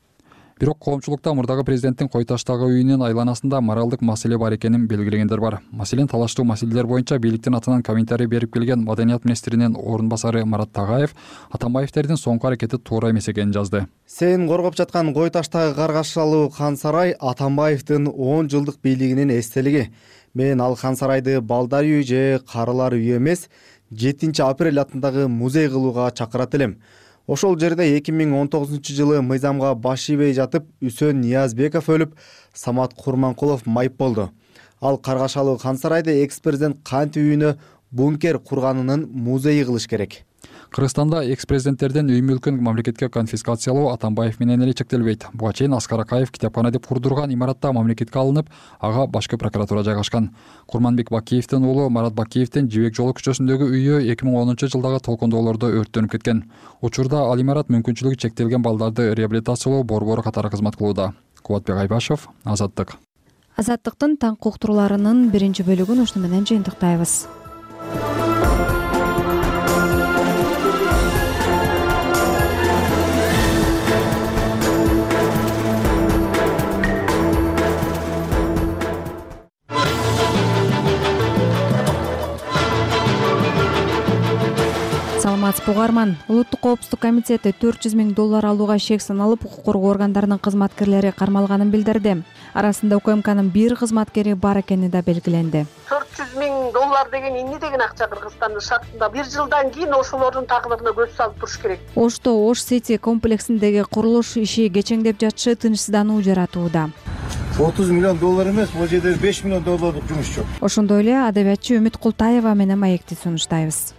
Бирок коомчулукта мурдагы президенттин Кой таштагы үйүнүн айланасында моралдык маселе бар экенин белгилегендер бар. Маселен, талаштуу маселелер боюнча бийликтин атынан комментарий берип келген Маданият министринин орун басары Марат Тагаев Атамбаевдердин соңку аракети туура эмес экенин жазды. Сен коргоп жаткан Кой таштагы Каргашалуу Хан сарай Атамбаевдин 10 жылдык бийлигинин эстелиги. Мен ал Хан сарайды балдар үйү же карылар үйү эмес, 7 апрель атындагы музей кылууга чакырат элем. Ошол жерде 2019-жылы мыйзамга баш ийбей жатып, Үсөн Ниязбеков өлүп, Самат Курманкулов майып болду. Ал Каргашалуу Хан сарайды экс-президент кантип үйүнө бункер курганынын музейи кылыш керек. Кыргызстанда экс-президенттердин үй мүлкүн мамлекетке конфискациялоо Атамбаев менен эле чектелбейт. Буга чейин Аскар Акаев китепкана деп курдурган имаратта мамлекетке алынып, ага башкы прокуратура жайгашкан. Курманбек Бакиевдин уулу Марат Бакиевдин Жибек жолу көчөсүндөгү үйү 2010-жылдагы толкундоолордо өрттөнүп кеткен. Учурда ал имарат мүмкүнчүлүгү чектелген балдарды реабилитациялоо борбору катары кызмат кылууда. Кубатбек Айбашев, Азаттык. Азаттыктын таңкы уктурууларынын биринчи бөлүгүн ушуну менен жыйынтыктайбыз. саламатсызбы угарман. Улуттук коопсуздук комитети $400 000 алууга шек саналып, укук коргоо органдарынын кызматкерлери кармалганын билдирди. Арасында УКМКнын бир кызматкери бар экени да белгиленди. $400 000 деген эмне деген акча Кыргызстандын шартында? 1 жылдан кийин ошолордун тагдырына көз салып туруш керек. Ошто Ош Сити комплексиндеги курулуш иши кечеңдеп жатышы тынчсыздануу жаратууда. $30 million эмес, бул жерде $5 million жумуш жок. Ошондой эле адабиятчы Үмүт Култаева менен маекти сунуштайбыз.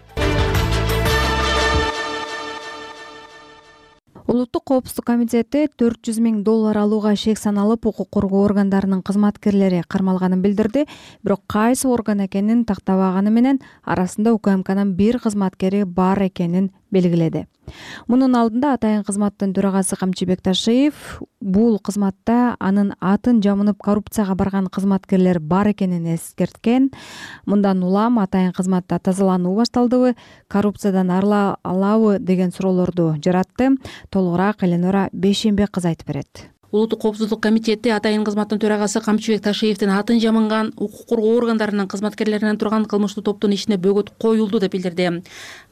Улуттук коопсуздук комитети $400 000 алууга шек саналып, укук коргоо органдарынын кызматкерлери кармалганын билдирди. Бирок кайсы орган экенин тактабаганы менен арасында УКМКнын бир кызматкери бар экенин белгиледи. Мунун алдында атайын кызматтын төрагасы Камчыбек Ташиев бул кызматта анын атын жамынып коррупцияга барган кызматкерлер бар экенин эскерткен. Мындан улам атайын кызматта тазалануу башталдыбы, коррупциядан арыла алабы деген суроолорду жаратты. Толугураак Эленора Бейшембек кызы айтып берет. Улуттук коопсуздук комитети атайын кызматтын төрагасы Камчыбек Ташиевдин атын жамынган укук коргоо органдарынын кызматкерлеринен турган кылмыштуу топтун ишине бөгөт коюлду деп билдирди.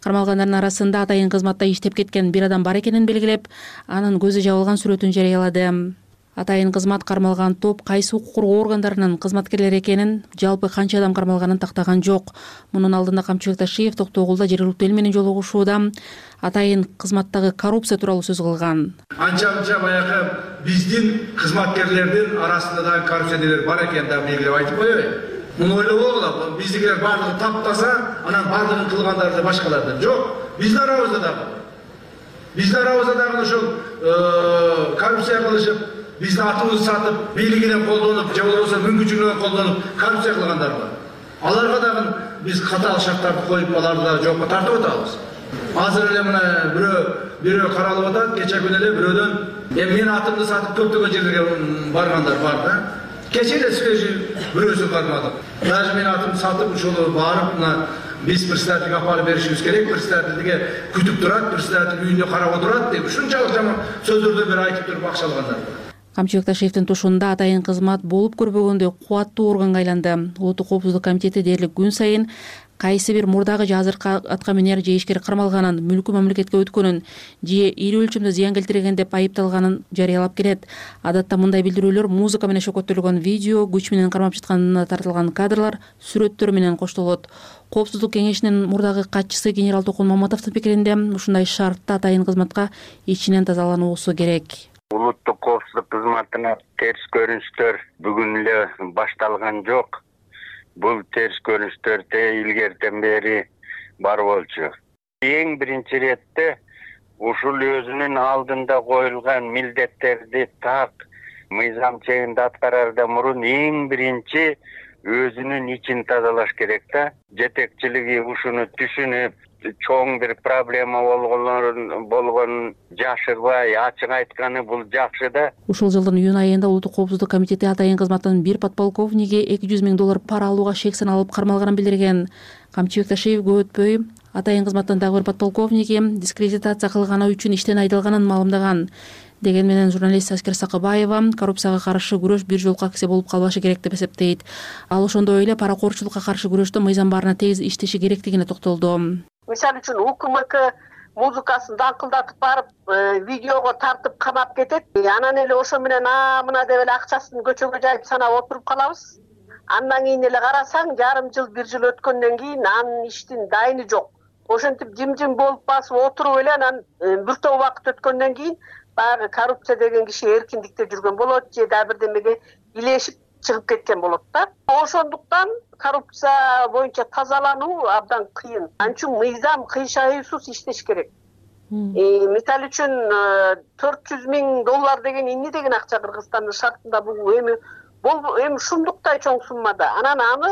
Кармалгандардын арасында атайын кызматта иштеп кеткен бир адам бар экенин белгилеп, анын көзү жабылган сүрөтүн жарыялады. Атайын кызмат кармалган топ кайсы укук коргоо органдарынын кызматкерлери экенин, жалпы канча адам кармалганын тактаган жок. Мунун алдында Камчыбек Ташиев Токтогулда жергиликтүү эл менен жолугушууда атайын кызматтагы коррупция тууралуу сөз кылган. Анча баягы биздин кызматкерлердин арасында да коррупционерлер бар экенин да белгилеп айтып коеюн. Муну ойлобогула, биздикилер баардыгы таптаса, анан баардыгын кылгандары башкалардан. Жок, биздин арабызда дагы ошол коррупция кылышып, биздин атыбызды сатып, бийлигинен колдонуп, же болбосо мүмкүнчүлүгүнөн колдонуп коррупция кылгандар бар. Аларга дагы биз катаал шарттарды коюп, аларды да жоопко тартып атабыз. Азыр эле мына бирөө каралып атат, кече күнү эле бирөөдөн менин атымды сатып көптөгөн жерлерге баргандар бар да. Кече эле свежий бирөөсү кармадык. Даже менин атымды сатып ошол барып, мына биз председательге апарып беришибиз керек, председательге күтүп турат, председатель үйүндө карап отурат деп ушунчалык жаман сөздөрдү бир айтып туруп акчалагандар бар. Камчыбек Ташиевдин тушунда атайын кызмат болуп көрбөгөндөй кубаттуу органга айланды. Улуттук коопсуздук комитети дээрлик күн сайын кайсы бир мурдагы же азыркы атка минер же ишкер кармалганын, мүлкү мамлекетке өткөнүн же ири өлчөмдө зыян келтирген деп айыпталганын жарыялап келет. Адатта мындай билдирүүлөр музыка менен шөкөттөлгөн видео, күч менен кармап жатканына тартылган кадрлар, сүрөттөр менен коштолот. Коопсуздук кеңешинин мурдагы катчысы генерал Токун Маматовдун пикиринде ушундай шартта атайын кызматка ичинен тазалануусу керек. Улуттук коопсуздук кызматына терс көрүнүштөр бүгүн эле башталган жок. Бул терс көрүнүштөр илгертен бери бар болчу. Эң биринчи иретте ушул өзүнүн алдында коюлган милдеттерди так мыйзам чегинде аткарардан мурун эң биринчи өзүнүн ичин тазалаш керек да. Жетекчилиги ушуну түшүнүп, чоң бир проблема болгонун жашырбай, ачык айтканы бул жакшы да. Ушул жылдын июнь айында Улуттук коопсуздук комитети атайын кызматтын бир подполковниги $200 000 пара алууга шек саналып кармалганын билдирген. Камчыбек Ташиев көп өтпөй атайын кызматтын дагы бир подполковниги дискредитация кылганы үчүн иштен айдалганын маалымдаган. Деген менен журналист Аскер Сакыбаева коррупцияга каршы күрөш бир жолку акция болуп калбашы керек деп эсептейт. Ал ошондой эле паракорчулукка каршы күрөштө мыйзам баарына тегиз иштеши керектигине токтолду. Мисалы үчүн УКМК музыкасын даңкылдатып барып, видеого тартып камап кетет. Анан эле ошо менен мына деп эле акчасын көчөгө жайып санап отуруп калабыз. Андан кийин эле карасаң, жарым жыл, бир жыл өткөндөн кийин анын иштин дайыны жок. Ошентип жим-жим болуп басып отуруп эле анан бир топ убакыт өткөндөн кийин баягы коррупция деген киши эркиндикте жүргөн болот же да бирдемеге илешип чыгып кеткен болот да. Ошондуктан коррупция боюнча тазалануу абдан кыйын. Анчүн мыйзам кыйшайсыз иштеш керек. Мисалы үчүн $400 000 деген эмне деген акча Кыргызстандын шартында бул эми шумдуктай чоң суммада. Анан аны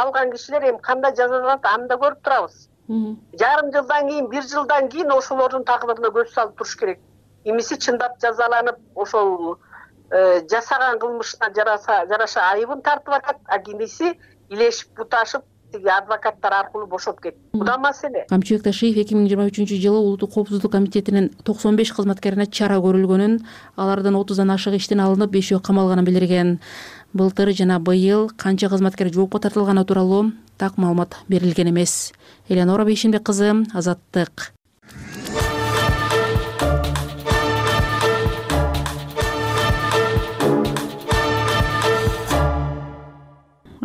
алган кишилер эми кандай жазаланат аны да көрүп турабыз. Жарым жылдан кийин, бир жылдан кийин ошолордун тагдырына көз салып туруш керек. Эмиси чындап жазаланып, ошол жасаган кылмышына жараша айыбын тартып атат, а кимиси илешип буташып тиги адвокаттар аркылуу бошоп кетти. Буда маселе. Камчыбек Ташиев 2023-жылы Улуттук коопсуздук комитетинин 95 кызматкерине чара көрүлгөнүн, алардан 30дан ашык иштен алынып, 5-өө камалганын билдирген. Былтыр жана быйыл канча кызматкер жоопко тартылганы тууралуу так маалымат берилген эмес. Эленора Бейшембек кызы, Азаттык.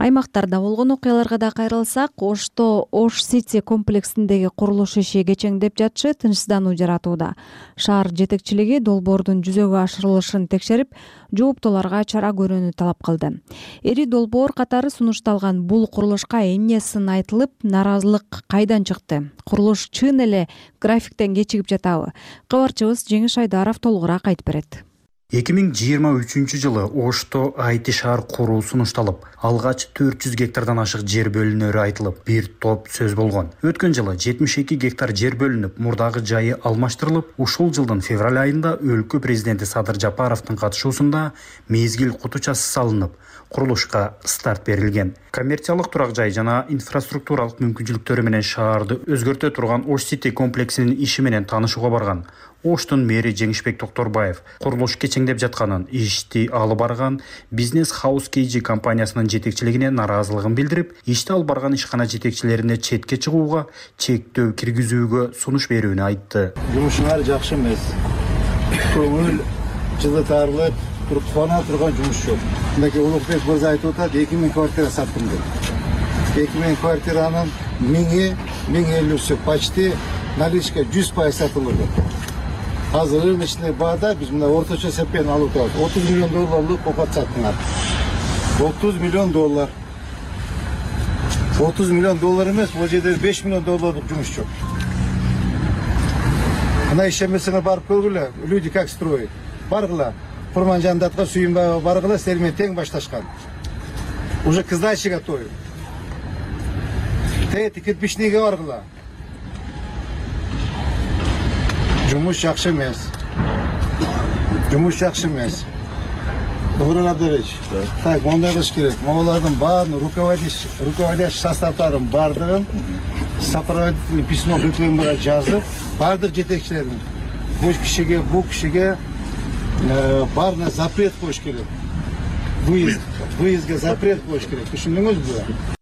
Аймактарда болгон окуяларга да кайрылсак, Ошто Ош Сити комплексиндеги курулуш иши кечеңдеп жатышы тынчсыздануу жаратууда. Шаар жетекчилиги долбоордун жүзөгө ашырылышын текшерип, жооптууларга чара көрүүнү талап кылды. Эри долбоор катары сунушталган бул курулушка эмне сын айтылып, наразылык кайдан чыкты? Курулуш чын эле графиктен кечигип жатабы? Кабарчыбыз Жеңиш Айдаров толугураак айтып берет. 2023 жылы Ошто айти шаар куруу сунушталып, алгач 400 гектардан ашык жер бөлүнөрү айтылып, бир топ сөз болгон. Өткөн жылы 72 гектар жер бөлүнүп, мурдагы жайы алмаштырылып, ушул жылдын февраль айында өлкө президенти Садыр Жапаровдун катышуусунда мезгил кутучасы салынып, курулушка старт берилген. Коммерциялык турак жай жана инфраструктуралык мүмкүнчүлүктөрү менен шаарды өзгөртө турган Ош Сити комплексинин иши менен таанышууга барган Оштун мэри Жеңишбек Токторбаев курулуш кечеңдеп жатканын, ишти алып барган Бизнес Хаус KG компаниясынын жетекчилигине наразылыгын билдирип, ишти алып барган ишкана жетекчилерине четке чыгууга, чектөө киргизүүгө сунуш берүүнү айтты. Жумушуңар жакшы эмес. Көңүл жылытарлык, кубана турган жумуш жок. Мындай Улукбек мырза айтып атат, 2000 квартира саттым деп. 2000 квартиранын 1050-сі почти наличка 100% сатылды. Азыр рыночный баада биз мына орточо эсеппен алып атабыз. 30 миллион долларлык копат саттыңар. 30 миллион доллар. 30 миллион доллар эмес, бул жерде 5 миллион долларлык жумуш жок. Мына ишемесиңер барып көргүлө, люди как строят. Баргыла, Курманжандатка, Сүйүнбайга баргыла, силер менен тең башташкан. Уже к сдаче готовы. Тэти кирпичныйга баргыла. Жумуш жакшы эмес. Жумуш жакшы эмес. Добрый Абдулович. Так, мондай кылыш керек. Могулардын баарын руководящий составдарын бардыгын сопроводительный письмо БКМга жазып, бардык жетекчилерин бул кишиге баарына запрет коюш керек. Выездге запрет коюш керек. Түшүндүңүзбү?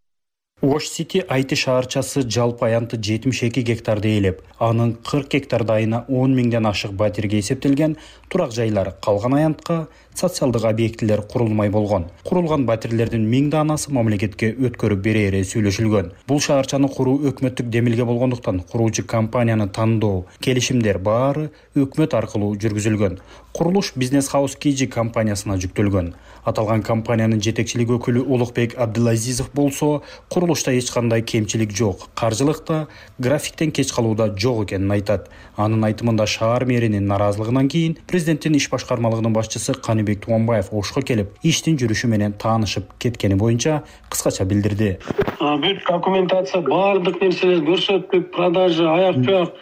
Ош Сити айти шаарчасы жалпы аянты 72 гектарды ээлеп, анын 40 гектарда айына 10 миңден ашык батирге эсептелген турак жайлар, калган аянтка социалдык объектилер курулмай болгон. Курулган батирлердин 1000 данасы мамлекетке өткөрүп берери сүйлөшүлгөн. Бул шаарчаны куруу өкмөттүк демилге болгондуктан куруучу компанияны тандоо, келишимдер баары өкмөт аркылуу жүргүзүлгөн. Курулуш Бизнес Хаус KG компаниясына жүктөлгөн. Аталган компаниянын жетекчилик өкүлү Улукбек Абдулазизов болсо, курулушта эч кандай кемчилик жок, каржылыкта, графиктен кеч калууда жок экенин айтат. Анын айтымында шаар мэринин наразылыгынан кийин президенттин иш башкармалыгынын башчысы Каныбек Туганбаев Ошко келип, иштин жүрүшү менен таанышып кеткени боюнча кыскача билдирди. Бүт документация, баардык нерселер көрсөттүк, продажа, аяк-туяк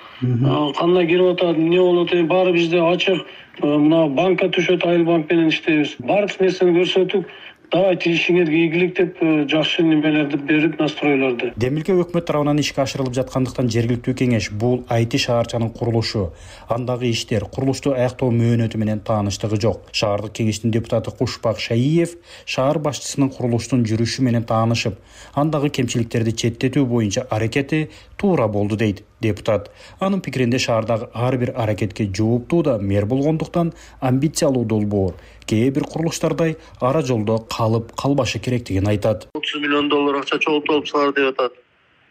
кандай кирип атат, эмне болот, баары бизде ачык. Мына банкка түшөт, Айыл банк менен иштейбиз. Баардык нерсени көрсөттүк. Давайте ишиңерге ийгилик деп жакшы немелерди берип, настройлорду. Демилге өкмөт тарабынан ишке ашырылып жаткандыктан жергиликтүү кеңеш бул айти шаарчанын курулушу, андагы иштер, курулушту аяктоо мөөнөтү менен тааныштыгы жок. Шаардык кеңештин депутаты Кушбак Шаиев шаар башчысынын курулуштун жүрүшү менен таанышып, андагы кемчиликтерди четтетүү боюнча аракети туура болду дейт депутат. Анын пикиринде шаардагы ар бир аракетке жооптуу да мэр болгондуктан амбициялуу долбоор кээ бир курулуштардай ара жолдо калып калбашы керектигин айтат. 30 миллион доллар акча чогултуп салар деп атат.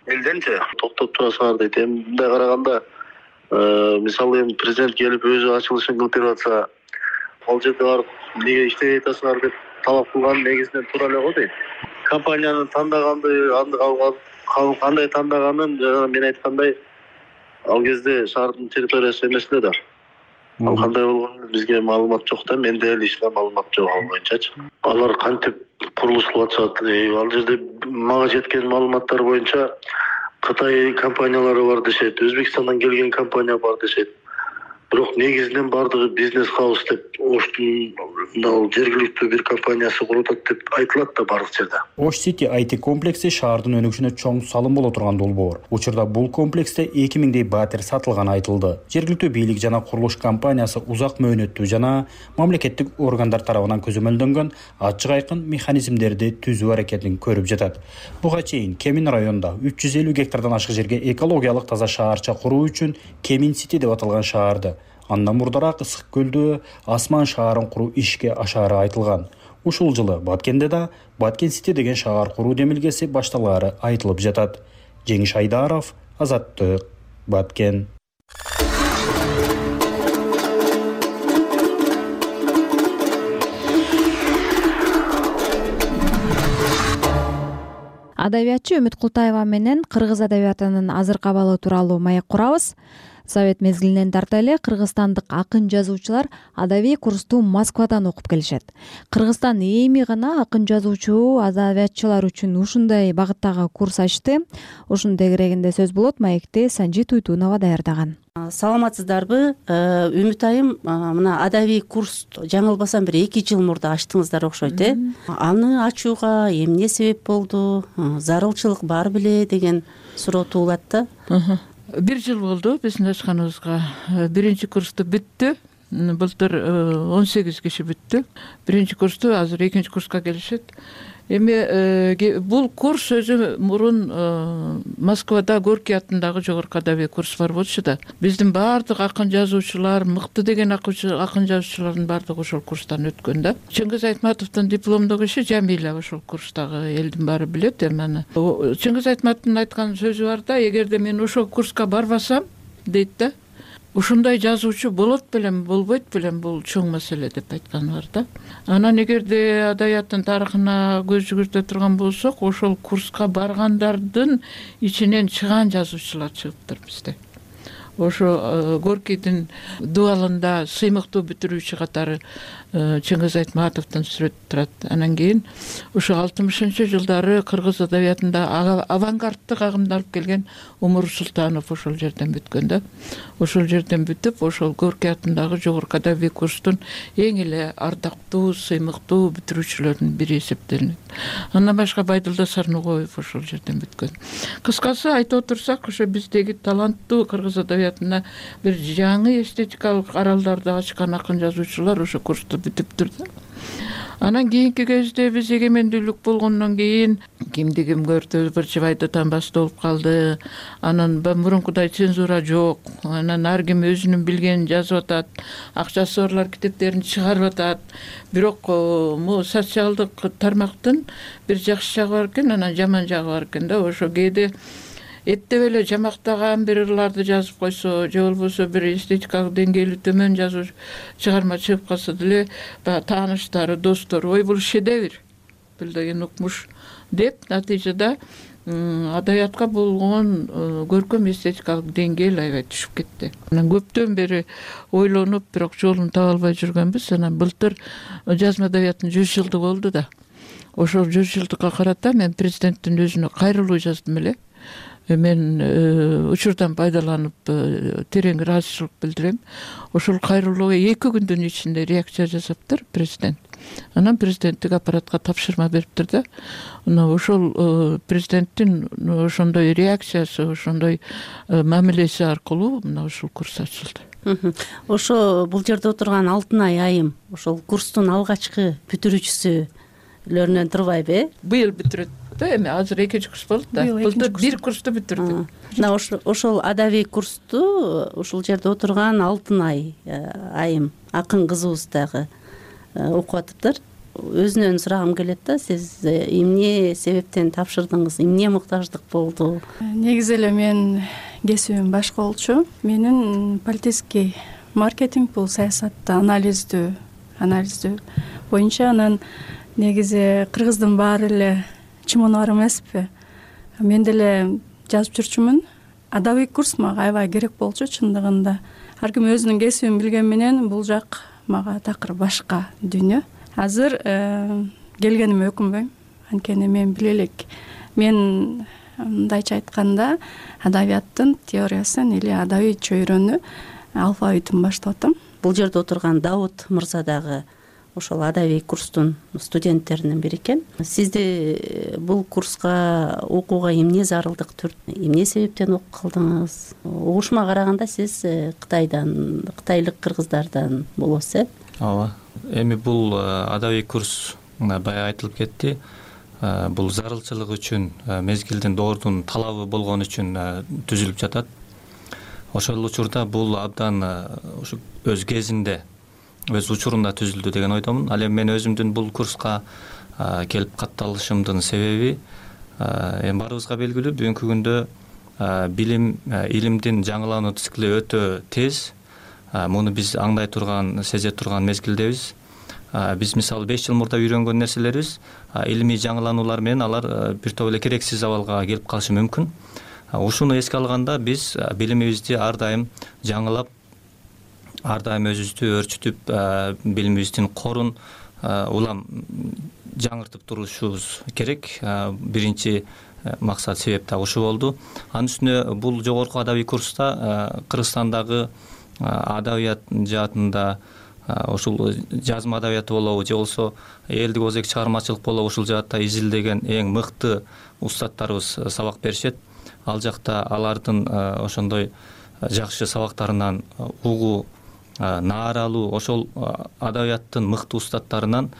Элденчи токтоп тура салар дейт. Мындай караганда, мисалы эми президент келип өзү ачылышын кылып берип атса, ал жерде барып эмнеге иштей атасыңар деп талап кылган негизинен туура эле го дейт. Компанияны тандаганды, кандай тандаганын мен айткандай, ал кезде шаардын территориясы эмес эле да. Ал кандай болгонун бизге маалымат жок да, менде эле ишке маалымат жок ал боюнчачы. Алар кантип курулуш кылып атышат? Ал жерде мага жеткен маалыматтар боюнча Кытай компаниялары бар дешет, Өзбекстандан келген компания бар дешет. Бирок негизинен бардыгы Бизнес Хаус деп Оштун жергиликтүү бир компаниясы куруп атат деп айтылат да бардык жерде. Ош Сити айти комплекси шаардын өнүгүшүнө чоң салым боло турган долбоор. Учурда бул комплексте 2000дей батир сатылганы айтылды. Жергиликтүү бийлик жана курулуш компаниясы узак мөөнөттүү жана мамлекеттик органдар тарабынан көзөмөлдөнгөн ачык айкын механизмдерди түзүү аракетин көрүп жатат. Буга чейин Кемин районунда 350 гектардан ашык жерге экологиялык таза шаарча куруу үчүн Кемин Сити деп аталган шаарды, андан мурдараак Ысык көлдө Асман шаарын куруу ишке ашаары айтылган. Ушул жылы Баткенде да Баткен Сити деген шаар куруу демилгеси башталаары айтылып жатат. Жеңиш Айдаров, Азаттык, Баткен. Адабиятчы Үмүт Култаева менен кыргыз адабиятынын азыркы абалы тууралуу маек курабыз. Совет мезгилинен тарта эле кыргызстандык акын жазуучулар адабий курсту Москвадан окуп келишет. Кыргызстан эми гана акын жазуучу адабиятчылар үчүн ушундай багыттагы курс ачты. Ушунун тегерегинде сөз болот. Маекти Санжит Уйтунова даярдаган. Саламатсыздарбы? Үмүт айым, мына адабий курс жаңылбасам бир 2 жыл мурда ачтыңыздар окшойт, Аны ачууга эмне себеп болду? Зарылчылык бар беле деген суроо туулат да. 1 жыл болду биздин ачканыбызга. Биринчи курсту бүттү. Былтыр 18 киши бүттү. Биринчи курсту азыр экинчи курска келишет. Эми бул курс өзү мурун Москвада Горький атындагы жогорку адабий курс бар болчу да. Биздин баардык акын жазуучулар, мыкты деген акын жазуучулардын баардыгы ошол курстан өткөн да. Чыңгыз Айтматовдун дипломдук иши Жамиля ошол курстагы элдин баары билет. Эми Чыңгыз Айтматовдун айткан сөзү бар да, эгерде мен ошол курска барбасам, дейт да, ушундай жазуучу болот белем, болбойт белем, бул чоң маселе деп айтканы бар да. Анан эгерде адабияттын тарыхына көз жүгүртө турган болсок, ошол курска баргандардын ичинен чыган жазуучулар чыгыптыр бизде. Ошо Горькийдин дуалында сыймыктуу бүтүрүүчү катары Чыңгыз Айтматовдун сүрөтү турат. Анан кийин ушу 60-жылдары кыргыз адабиятында авангардтык агымды алып келген Умур Султанов ошол жерден бүткөн да. Ошол жерден бүтүп, ошол Горький атындагы жогорку адабий курстун эң эле ардактуу, сыймыктуу бүтүрүүчүлөрүнүн бири эсептелинет. Андан башка Байдылда Сарногоев ошол жерден бүткөн. Кыскасы айтып отурсак, ошо биздеги таланттуу кыргыз адабиятына бир жаңы эстетикалык аралдарды ачкан акын жазуучулар ошо курсту бүтүптүр да. Анан кийинки кезде биз эгемендүүлүк болгондон кийин кимди ким көрдү, бир жыбайды тамбасы болуп калды. Анан мурункудай цензура жок. Анан ар ким өзүнүн билгенин жазып атат, акчасы барлар китептерин чыгарып атат. Бирок могу социалдык тармактын бир жакшы жагы бар экен, анан жаман жагы бар экен да. Ошо кээде эттеп эле жамактаган бир ырларды жазып койсо, же болбосо бир эстетикалык деңгээли төмөн жазуу чыгарма чыгып калса деле, тааныштары, достору, ой бул шедевр, бул деген укмуш деп, натыйжада адабиятка болгон көркөм эстетикалык деңгээл аябай түшүп кетти. Анан көптөн бери ойлонуп, бирок жолун таба албай жүргөнбүз. Анан былтыр жазма адабияттын 100 жылдыгы болду да. Ошол 100 жылдыкка карата мен президенттин өзүнө кайрылуу жаздым эле. Мен учурдан пайдаланып терең ыраазычылык билдирем. Ошол кайрылууга 2 күндүн ичинде реакция жасаптыр президент. Анан президенттик аппаратка тапшырма бериптир да. Ошол президенттин ошондой реакциясы, ошондой мамилеси аркылуу мына ушул курс ачылды. Ошо бул жерде отурган Алтынай айым ошол курстун алгачкы бүтүрүүчүсүлөрүнөн турбайбы? Быйыл бүтүрөт. Эми азыр экинчи курс болду да. Былтыр 1 курсту бүтүрдүк. Мына ошол адабий курсту ушул жерде отурган Алтынай айым, акын кызыбыз дагы окуп атыптыр. Өзүнөн сурагым келет да, сиз эмне себептен тапшырдыңыз, эмне муктаждык болду? Негизи эле мен кесибим башка болчу. Менин политический маркетинг, бул саясатты анализдөө боюнча. Анан негизи кыргыздын баары эле чымонор эмеспи. Мен деле жазып жүрчүмүн. Адабий курс мага аябай керек болчу чындыгында. Ар ким өзүнүн кесибин билген менен бул жак мага такыр башка дүйнө. Азыр келгениме өкүнбөйм. Анткени мен биле элек. Мен мындайча айтканда адабияттын теориясын или адабий чөйрөнү алфавитин баштап атам. Бул жерде отурган Давут мырза дагы ошол адабий курстун студенттеринин бири экен. Сизди бул курска окууга эмне зарылдык түрттү? Эмне себептен окуп калдыңыз? Угушума караганда сиз кытайлык кыргыздардан болосуз, Ооба. Эми бул адабий курс баягы айтылып кетти. Бул зарылчылык үчүн, мезгилдин доордун талабы болгон үчүн түзүлүп жатат. Ошол учурда бул абдан өз кезинде өз учурунда түзүлдү деген ойдомун. Ал эми мен өзүмдүн бул курска келип катталышымдын себеби эми баарыбызга белгилүү, бүгүнкү күндө билим, илимдин жаңылануу цикли өтө тез. Муну биз аңдай турган, сезе турган мезгилдебиз. Биз мисалы 5 жыл мурда үйрөнгөн нерселерибиз илимий жаңылануулар менен алар бир топ эле керексиз абалга келип калышы мүмкүн. Ушуну эске алганда биз билимибизди ар дайым жаңылап, ар дайым өзүбүздү өөрчүтүп, билимибиздин корун улам жаңыртып турушубуз керек. Биринчи максат, себеп да ушу болду. Анын үстүнө бул жогорку адабий курста Кыргызстандагы адабият жаатында ушул жазма адабияты болобу же болбосо элдик озек чыгармачылык болобу, ушул жаатта изилдеген эң мыкты устаттарыбыз сабак беришет. Ал жакта алардын ошондой жакшы сабактарынан угуу, нааралуу, ошол адабияттын мыкты устаттарынан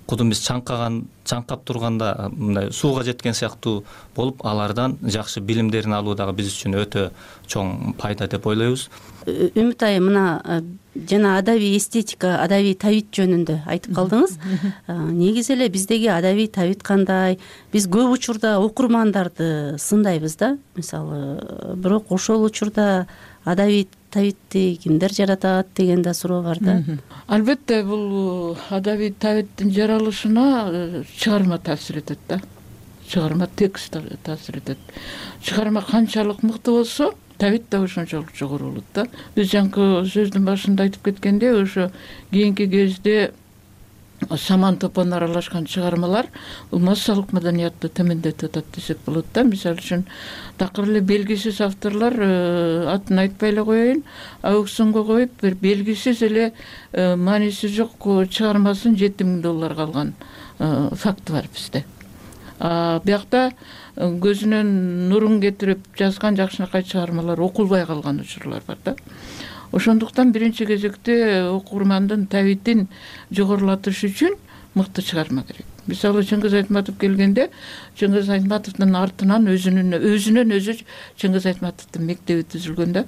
кудум биз чаңкап турганда мындай сууга жеткен сыяктуу болуп, алардан жакшы билимдерин алуу дагы биз үчүн өтө чоң пайда деп ойлойбуз. Үмүт айым, мына жана адабий эстетика, адабий табит жөнүндө айтып калдыңыз. Негизи эле биздеги адабий табит кандай? Биз көп учурда окурмандарды сындайбыз да, мисалы, бирок ошол учурда адабий табитти кимдер жаратат деген да суроо бар да. Албетте бул адабий табиттин жаралышына чыгарма таасир этет да. Чыгарма, текст таасир этет. Чыгарма канчалык мыкты болсо, табит да ошончолук жогору болот да. Биз жаңкы сөздүн башында айтып кеткендей, ошо кийинки кезде саман топон аралашкан чыгармалар бул массалык маданиятты төмөндөтүп атат десек болот да. Мисалы үчүн такыр эле белгисиз авторлор, атын айтпай эле коеюн, аукционго коюп, бир белгисиз эле мааниси жок чыгармасын $7,000 алган факт бар бизде. Биякта көзүнөн нурун кетирип жазган жакшынакай чыгармалар окулбай калган учурлар бар да. Ошондуктан биринчи кезекте окурмандын табитин жогорулатыш үчүн мыкты чыгарма керек. Мисалы, Чыңгыз Айтматов келгенде, Чыңгыз Айтматовдун артынан өзүнөн өзү Чыңгыз Айтматовдун мектеби түзүлгөн да.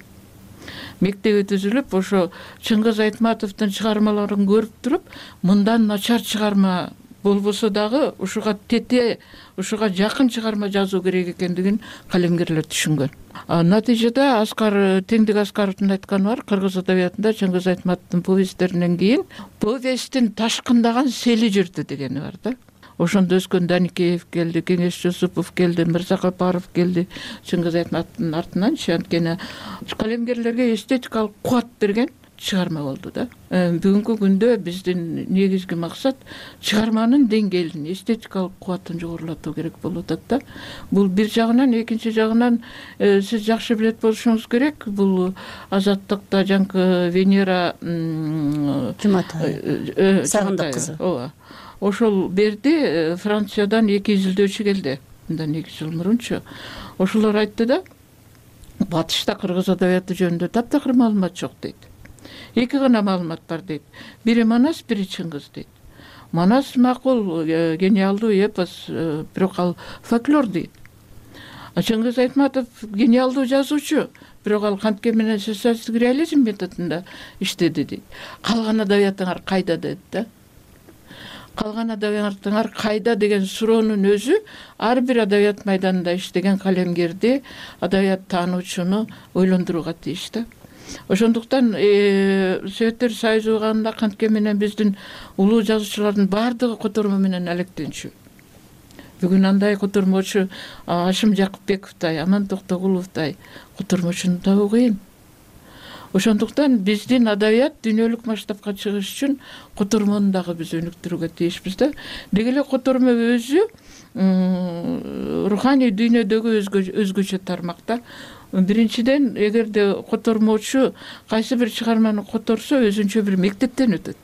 Мектеби түзүлүп, ошо Чыңгыз Айтматовдун чыгармаларын көрүп туруп, мындан начар чыгарма болбосо дагы ушуга тете, ушуга жакын чыгарма жазуу керек экендигин калемгерлер түшүнгөн. Натыйжада Теңдик Аскаровдун айтканы бар, кыргыз адабиятында Чыңгыз Айтматовдун повесттеринен кийин повесттин ташкындаган сели жүрдү дегени бар да. Ошондо өскөн Даникеев келди, Кеңеш Жусупов келди, Мырзакапаров келди, Чыңгыз Айтматовдун артынан. Анткени калемгерлерге эстетикалык кубат берген чыгарма болду да. Бүгүнкү күндө биздин негизги максат чыгарманын деңгээлин, эстетикалык кубатын жогорулатуу керек болуп атат да. Бул бир жагынан, экинчи жагынан сиз жакшы билет болушуңуз керек. Бул Азаттыкта жаңкы Венера Сагындык кызы. Ооба. Ошол берди, Франциядан 2 изилдөөчү келди. Мындан 2 жыл мурунчу. Ошолор айтты да, батышта кыргыз адабияты жөнүндө таптакыр маалымат жок дейт. 2 гана маалымат бар дейт. Бири Манас, бири Чыңгыз дейт. Манас макул, гениалдуу эпос, бирок ал фольклор дейт. Чыңгыз Айтматов гениалдуу жазуучу, бирок ал кантке менен социалисттик реализм методунда иштеди дейт. Калган адабиятыңар кайда дейт да. Калган адабиятыңар кайда деген суроонун өзү ар бир адабият майданында иштеген калемгерди, адабият таануучуну ойлондурууга тийиш да. Ошондуктан Советтер Союзу кандай кантке менен биздин улуу жазуучулардын баардыгы котормо менен алектенчү. Бүгүн андай котормочу Ашым Жакыпбековтай, Аман Токтогуловтай котормочуну табуу кыйын. Ошондуктан биздин адабият дүйнөлүк масштабка чыгыш үчүн котормону дагы биз өнүктүрүүгө тийишпиз да. Деги эле котормо өзү руханий дүйнөдөгү өзгөчө тармакта. Биринчиден, эгерде котормочу кайсы бир чыгарманы которсо, өзүнчө бир мектептен өтөт.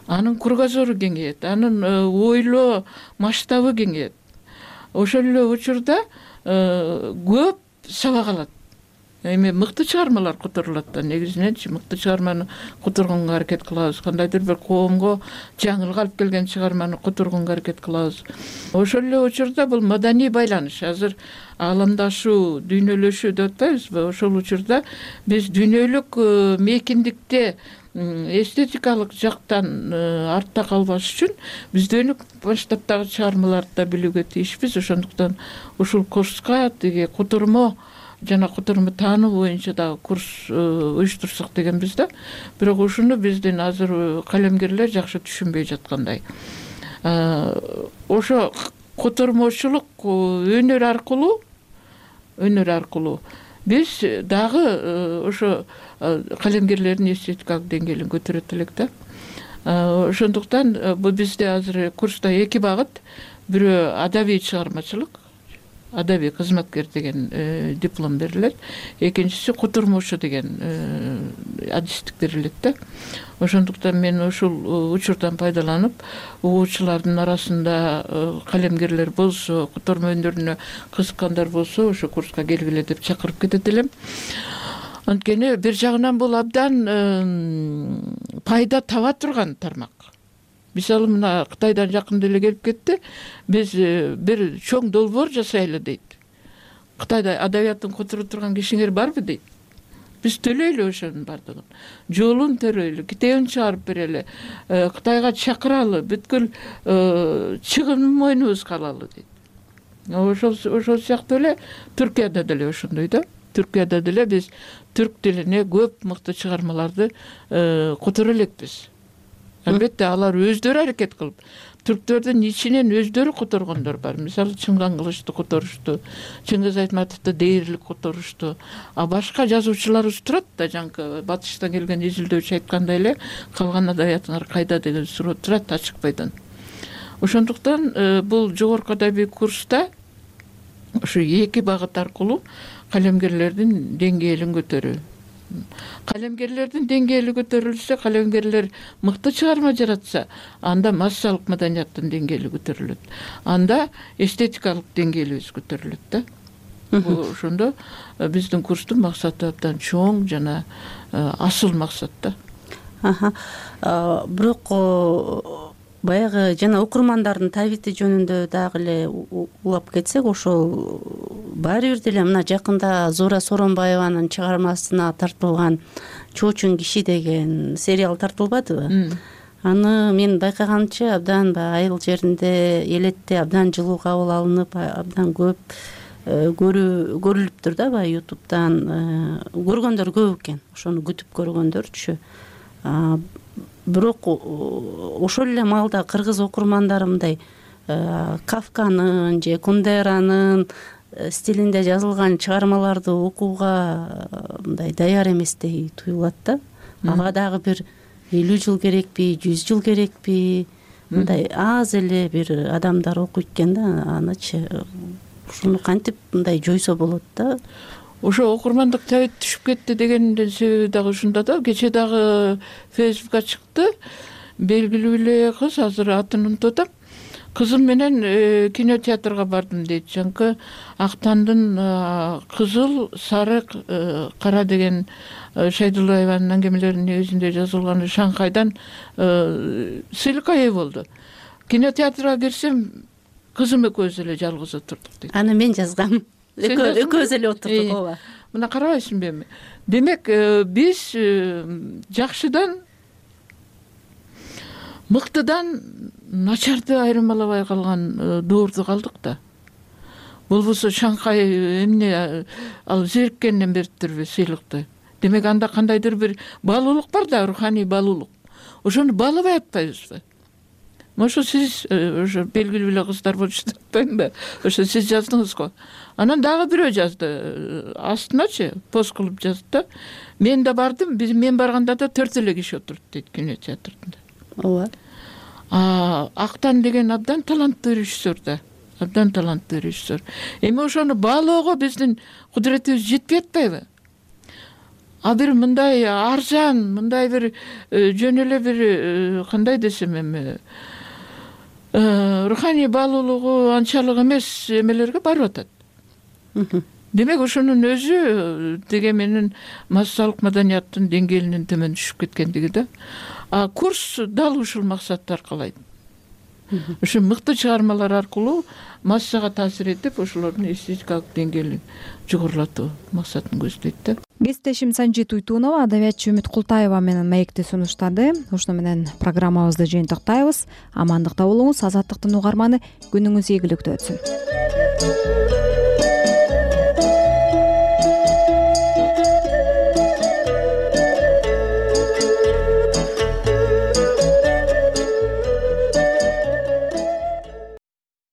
Анын кругозору кеңейет, анын ойлоо масштабы кеңейет. Ошол эле учурда көп сабак алат. Эми мыкты чыгармалар которулат да, негизиненчи мыкты чыгарманы которгонго аракет кылабыз. Кандайдыр бир коомго жаңылык алып келген чыгарманы которгонго аракет кылабыз. Ошол эле учурда бул маданий байланыш, азыр ааламдашуу, дүйнөлөшүү деп атпайбызбы? Ошол учурда биз дүйнөлүк мейкиндикте эстетикалык жактан артта калбаш үчүн бизден баштап дагы чыгармаларды да билүүгө тийишпиз. Ошондуктан ушул курска тиги котормо жана котормо таануу боюнча дагы курс уюштурсак дегенбиз да. Бирок ушуну биздин азыр калемгерлер жакшы түшүнбөй жаткандай. Ошо котормочулук өнөр аркылуу биз дагы ошо калемгерлердин эстетикалык деңгээлин көтөрөт элек да. Ошондуктан бул бизде азыр курста эки багыт. Бирөө адабий чыгармачылык, адабий кызматкер деген диплом берилет. Экинчиси котормочу деген адистик берилет да. Ошондуктан мен ушул учурдан пайдаланып, угуучулардын арасында калемгерлер болсо, котормо өндөрүнө кызыккандар болсо, ошо курска келгиле деп чакырып кетет элем. Анткени бир жагынан бул абдан пайда таба турган тармак. Мисалы мына Кытайдан жакында эле келип кетти. Биз бир чоң долбоор жасайлы дейт. Кытайда адабияттын которо турган кишиңер барбы дейт. Биз төлөйлү ошонун бардыгын. Жолун төрөйлү, китебин чыгарып берели, Кытайга чакыралы, бүткүл чыгым мойнубузга алалы дейт. Ошол сыяктуу эле Түркияда деле ошондой да. Түркияда деле биз түрк тилине көп мыкты чыгармаларды которо элекпиз. Албетте алар өздөрү аракет кылып, түрктөрдүн ичинен өздөрү которгондор бар. Мисалы Чыңган Кылычты которушту, Чыңгыз Айтматовду дээрлик которушту. А башка жазуучуларыбыз турат да, жанакы батыштан келген изилдөөчү айткандай эле, калган адабиятыңар кайда деген суроо турат ачыкпайдан. Ошондуктан бул жогорку адабий курста ушу эки багыт аркылуу калемгерлердин деңгээлин көтөрүү. Калемгерлердин деңгээли көтөрүлсө, калемгерлер мыкты чыгарма жаратса, анда массалык маданияттын деңгээли көтөрүлөт. Анда эстетикалык деңгээлибиз көтөрүлөт да. Ошондо биздин курстун максаты абдан чоң жана асыл максат да. Бирок баягы жана окурмандардын табити жөнүндө дагы эле улап кетсек, ошол баары бир деле мына жакында Зора Соронбаеванын чыгармасына тартылган Чоочун киши деген сериал тартылбадыбы? Аны мен байкаганымча абдан айыл жеринде, элетте абдан жылуу кабыл алынып, абдан көп көрүлүптүр да, баягы YouTube'дан көргөндөр көп экен. Ошону күтүп көргөндөрчү. Бирок ошол эле маалда кыргыз окурмандары мындай Кафканын же Кундеранын стилинде жазылган чыгармаларды окууга мындай даяр эместей туюлат да. Ага дагы бир 50 жыл керекпи, 100 жыл керекпи? Мындай аз эле бир адамдар окуйт экен да, анычы ушуну кантип мындай жойсо болот да? Ошо окурмандык табит түшүп кетти дегендин себеби дагы ушунда да. Кече дагы Фейсбукка чыкты. Белгилүү эле кыз, азыр атын унутуп атам. Кызым менен кинотеатрга бардым дейт. Жанкы Актандын Кызыл, Сарык, Кара деген Шайдуллаеванын аңгемелеринин негизинде жазылган Шанхайдан сыйлыкка ээ болду. Кинотеатрга кирсем, кызым экөөбүз эле жалгыз отурдук дейт. Аны мен жазгам. Экөөбүз эле отурдук, ооба. Мына карабайсыңбы эми? Демек, биз жакшыдан мыктыдан начарды айырмалабай калган доордо калдык да. Болбосо Шанхай эмне ал зериккенден бериптирби сыйлыкты. Демек анда кандайдыр бир баалуулук бар да, руханий баалуулук. Ошону баалабай атпайбызбы? Ошо сиз ошо белгилүү эле кыздар болушту атпаймынбы? Ошо сиз жаздыңыз го. Анан дагы бирөө жазды. Астыначы пост кылып жазды да. Мен да бардым, мен барганда да 4 эле киши отурду дейт кинотеатрда. Ооба. Актан деген абдан таланттуу режиссер да. Абдан таланттуу режиссер. Эми ошону баалоого биздин кудуретибиз жетпей атпайбы? А бир мындай арзан, мындай бир жөн эле бир кандай десем эми руханий баалуулугу анчалык эмес эмелерге барып атат. Демек ошонун өзү деге менин массалык маданияттын деңгээлинин төмөн түшүп кеткендиги да. А курс дал ушул максатты аркалайт. ошо мыкты чыгармалар аркылуу массага таасир этип ошолордун эстетикалык деңгээлин жогорулатуу максатын көздөйт да. Кесиптешим Санжи Туйтунова адабиятчы Үмүт Култаева менен маекти сунуштады. Ошону менен программабызды жыйынтыктайбыз. Амандыкта болуңуз. Азаттыктын угарманы күнүңүз ийгиликтүү өтсүн.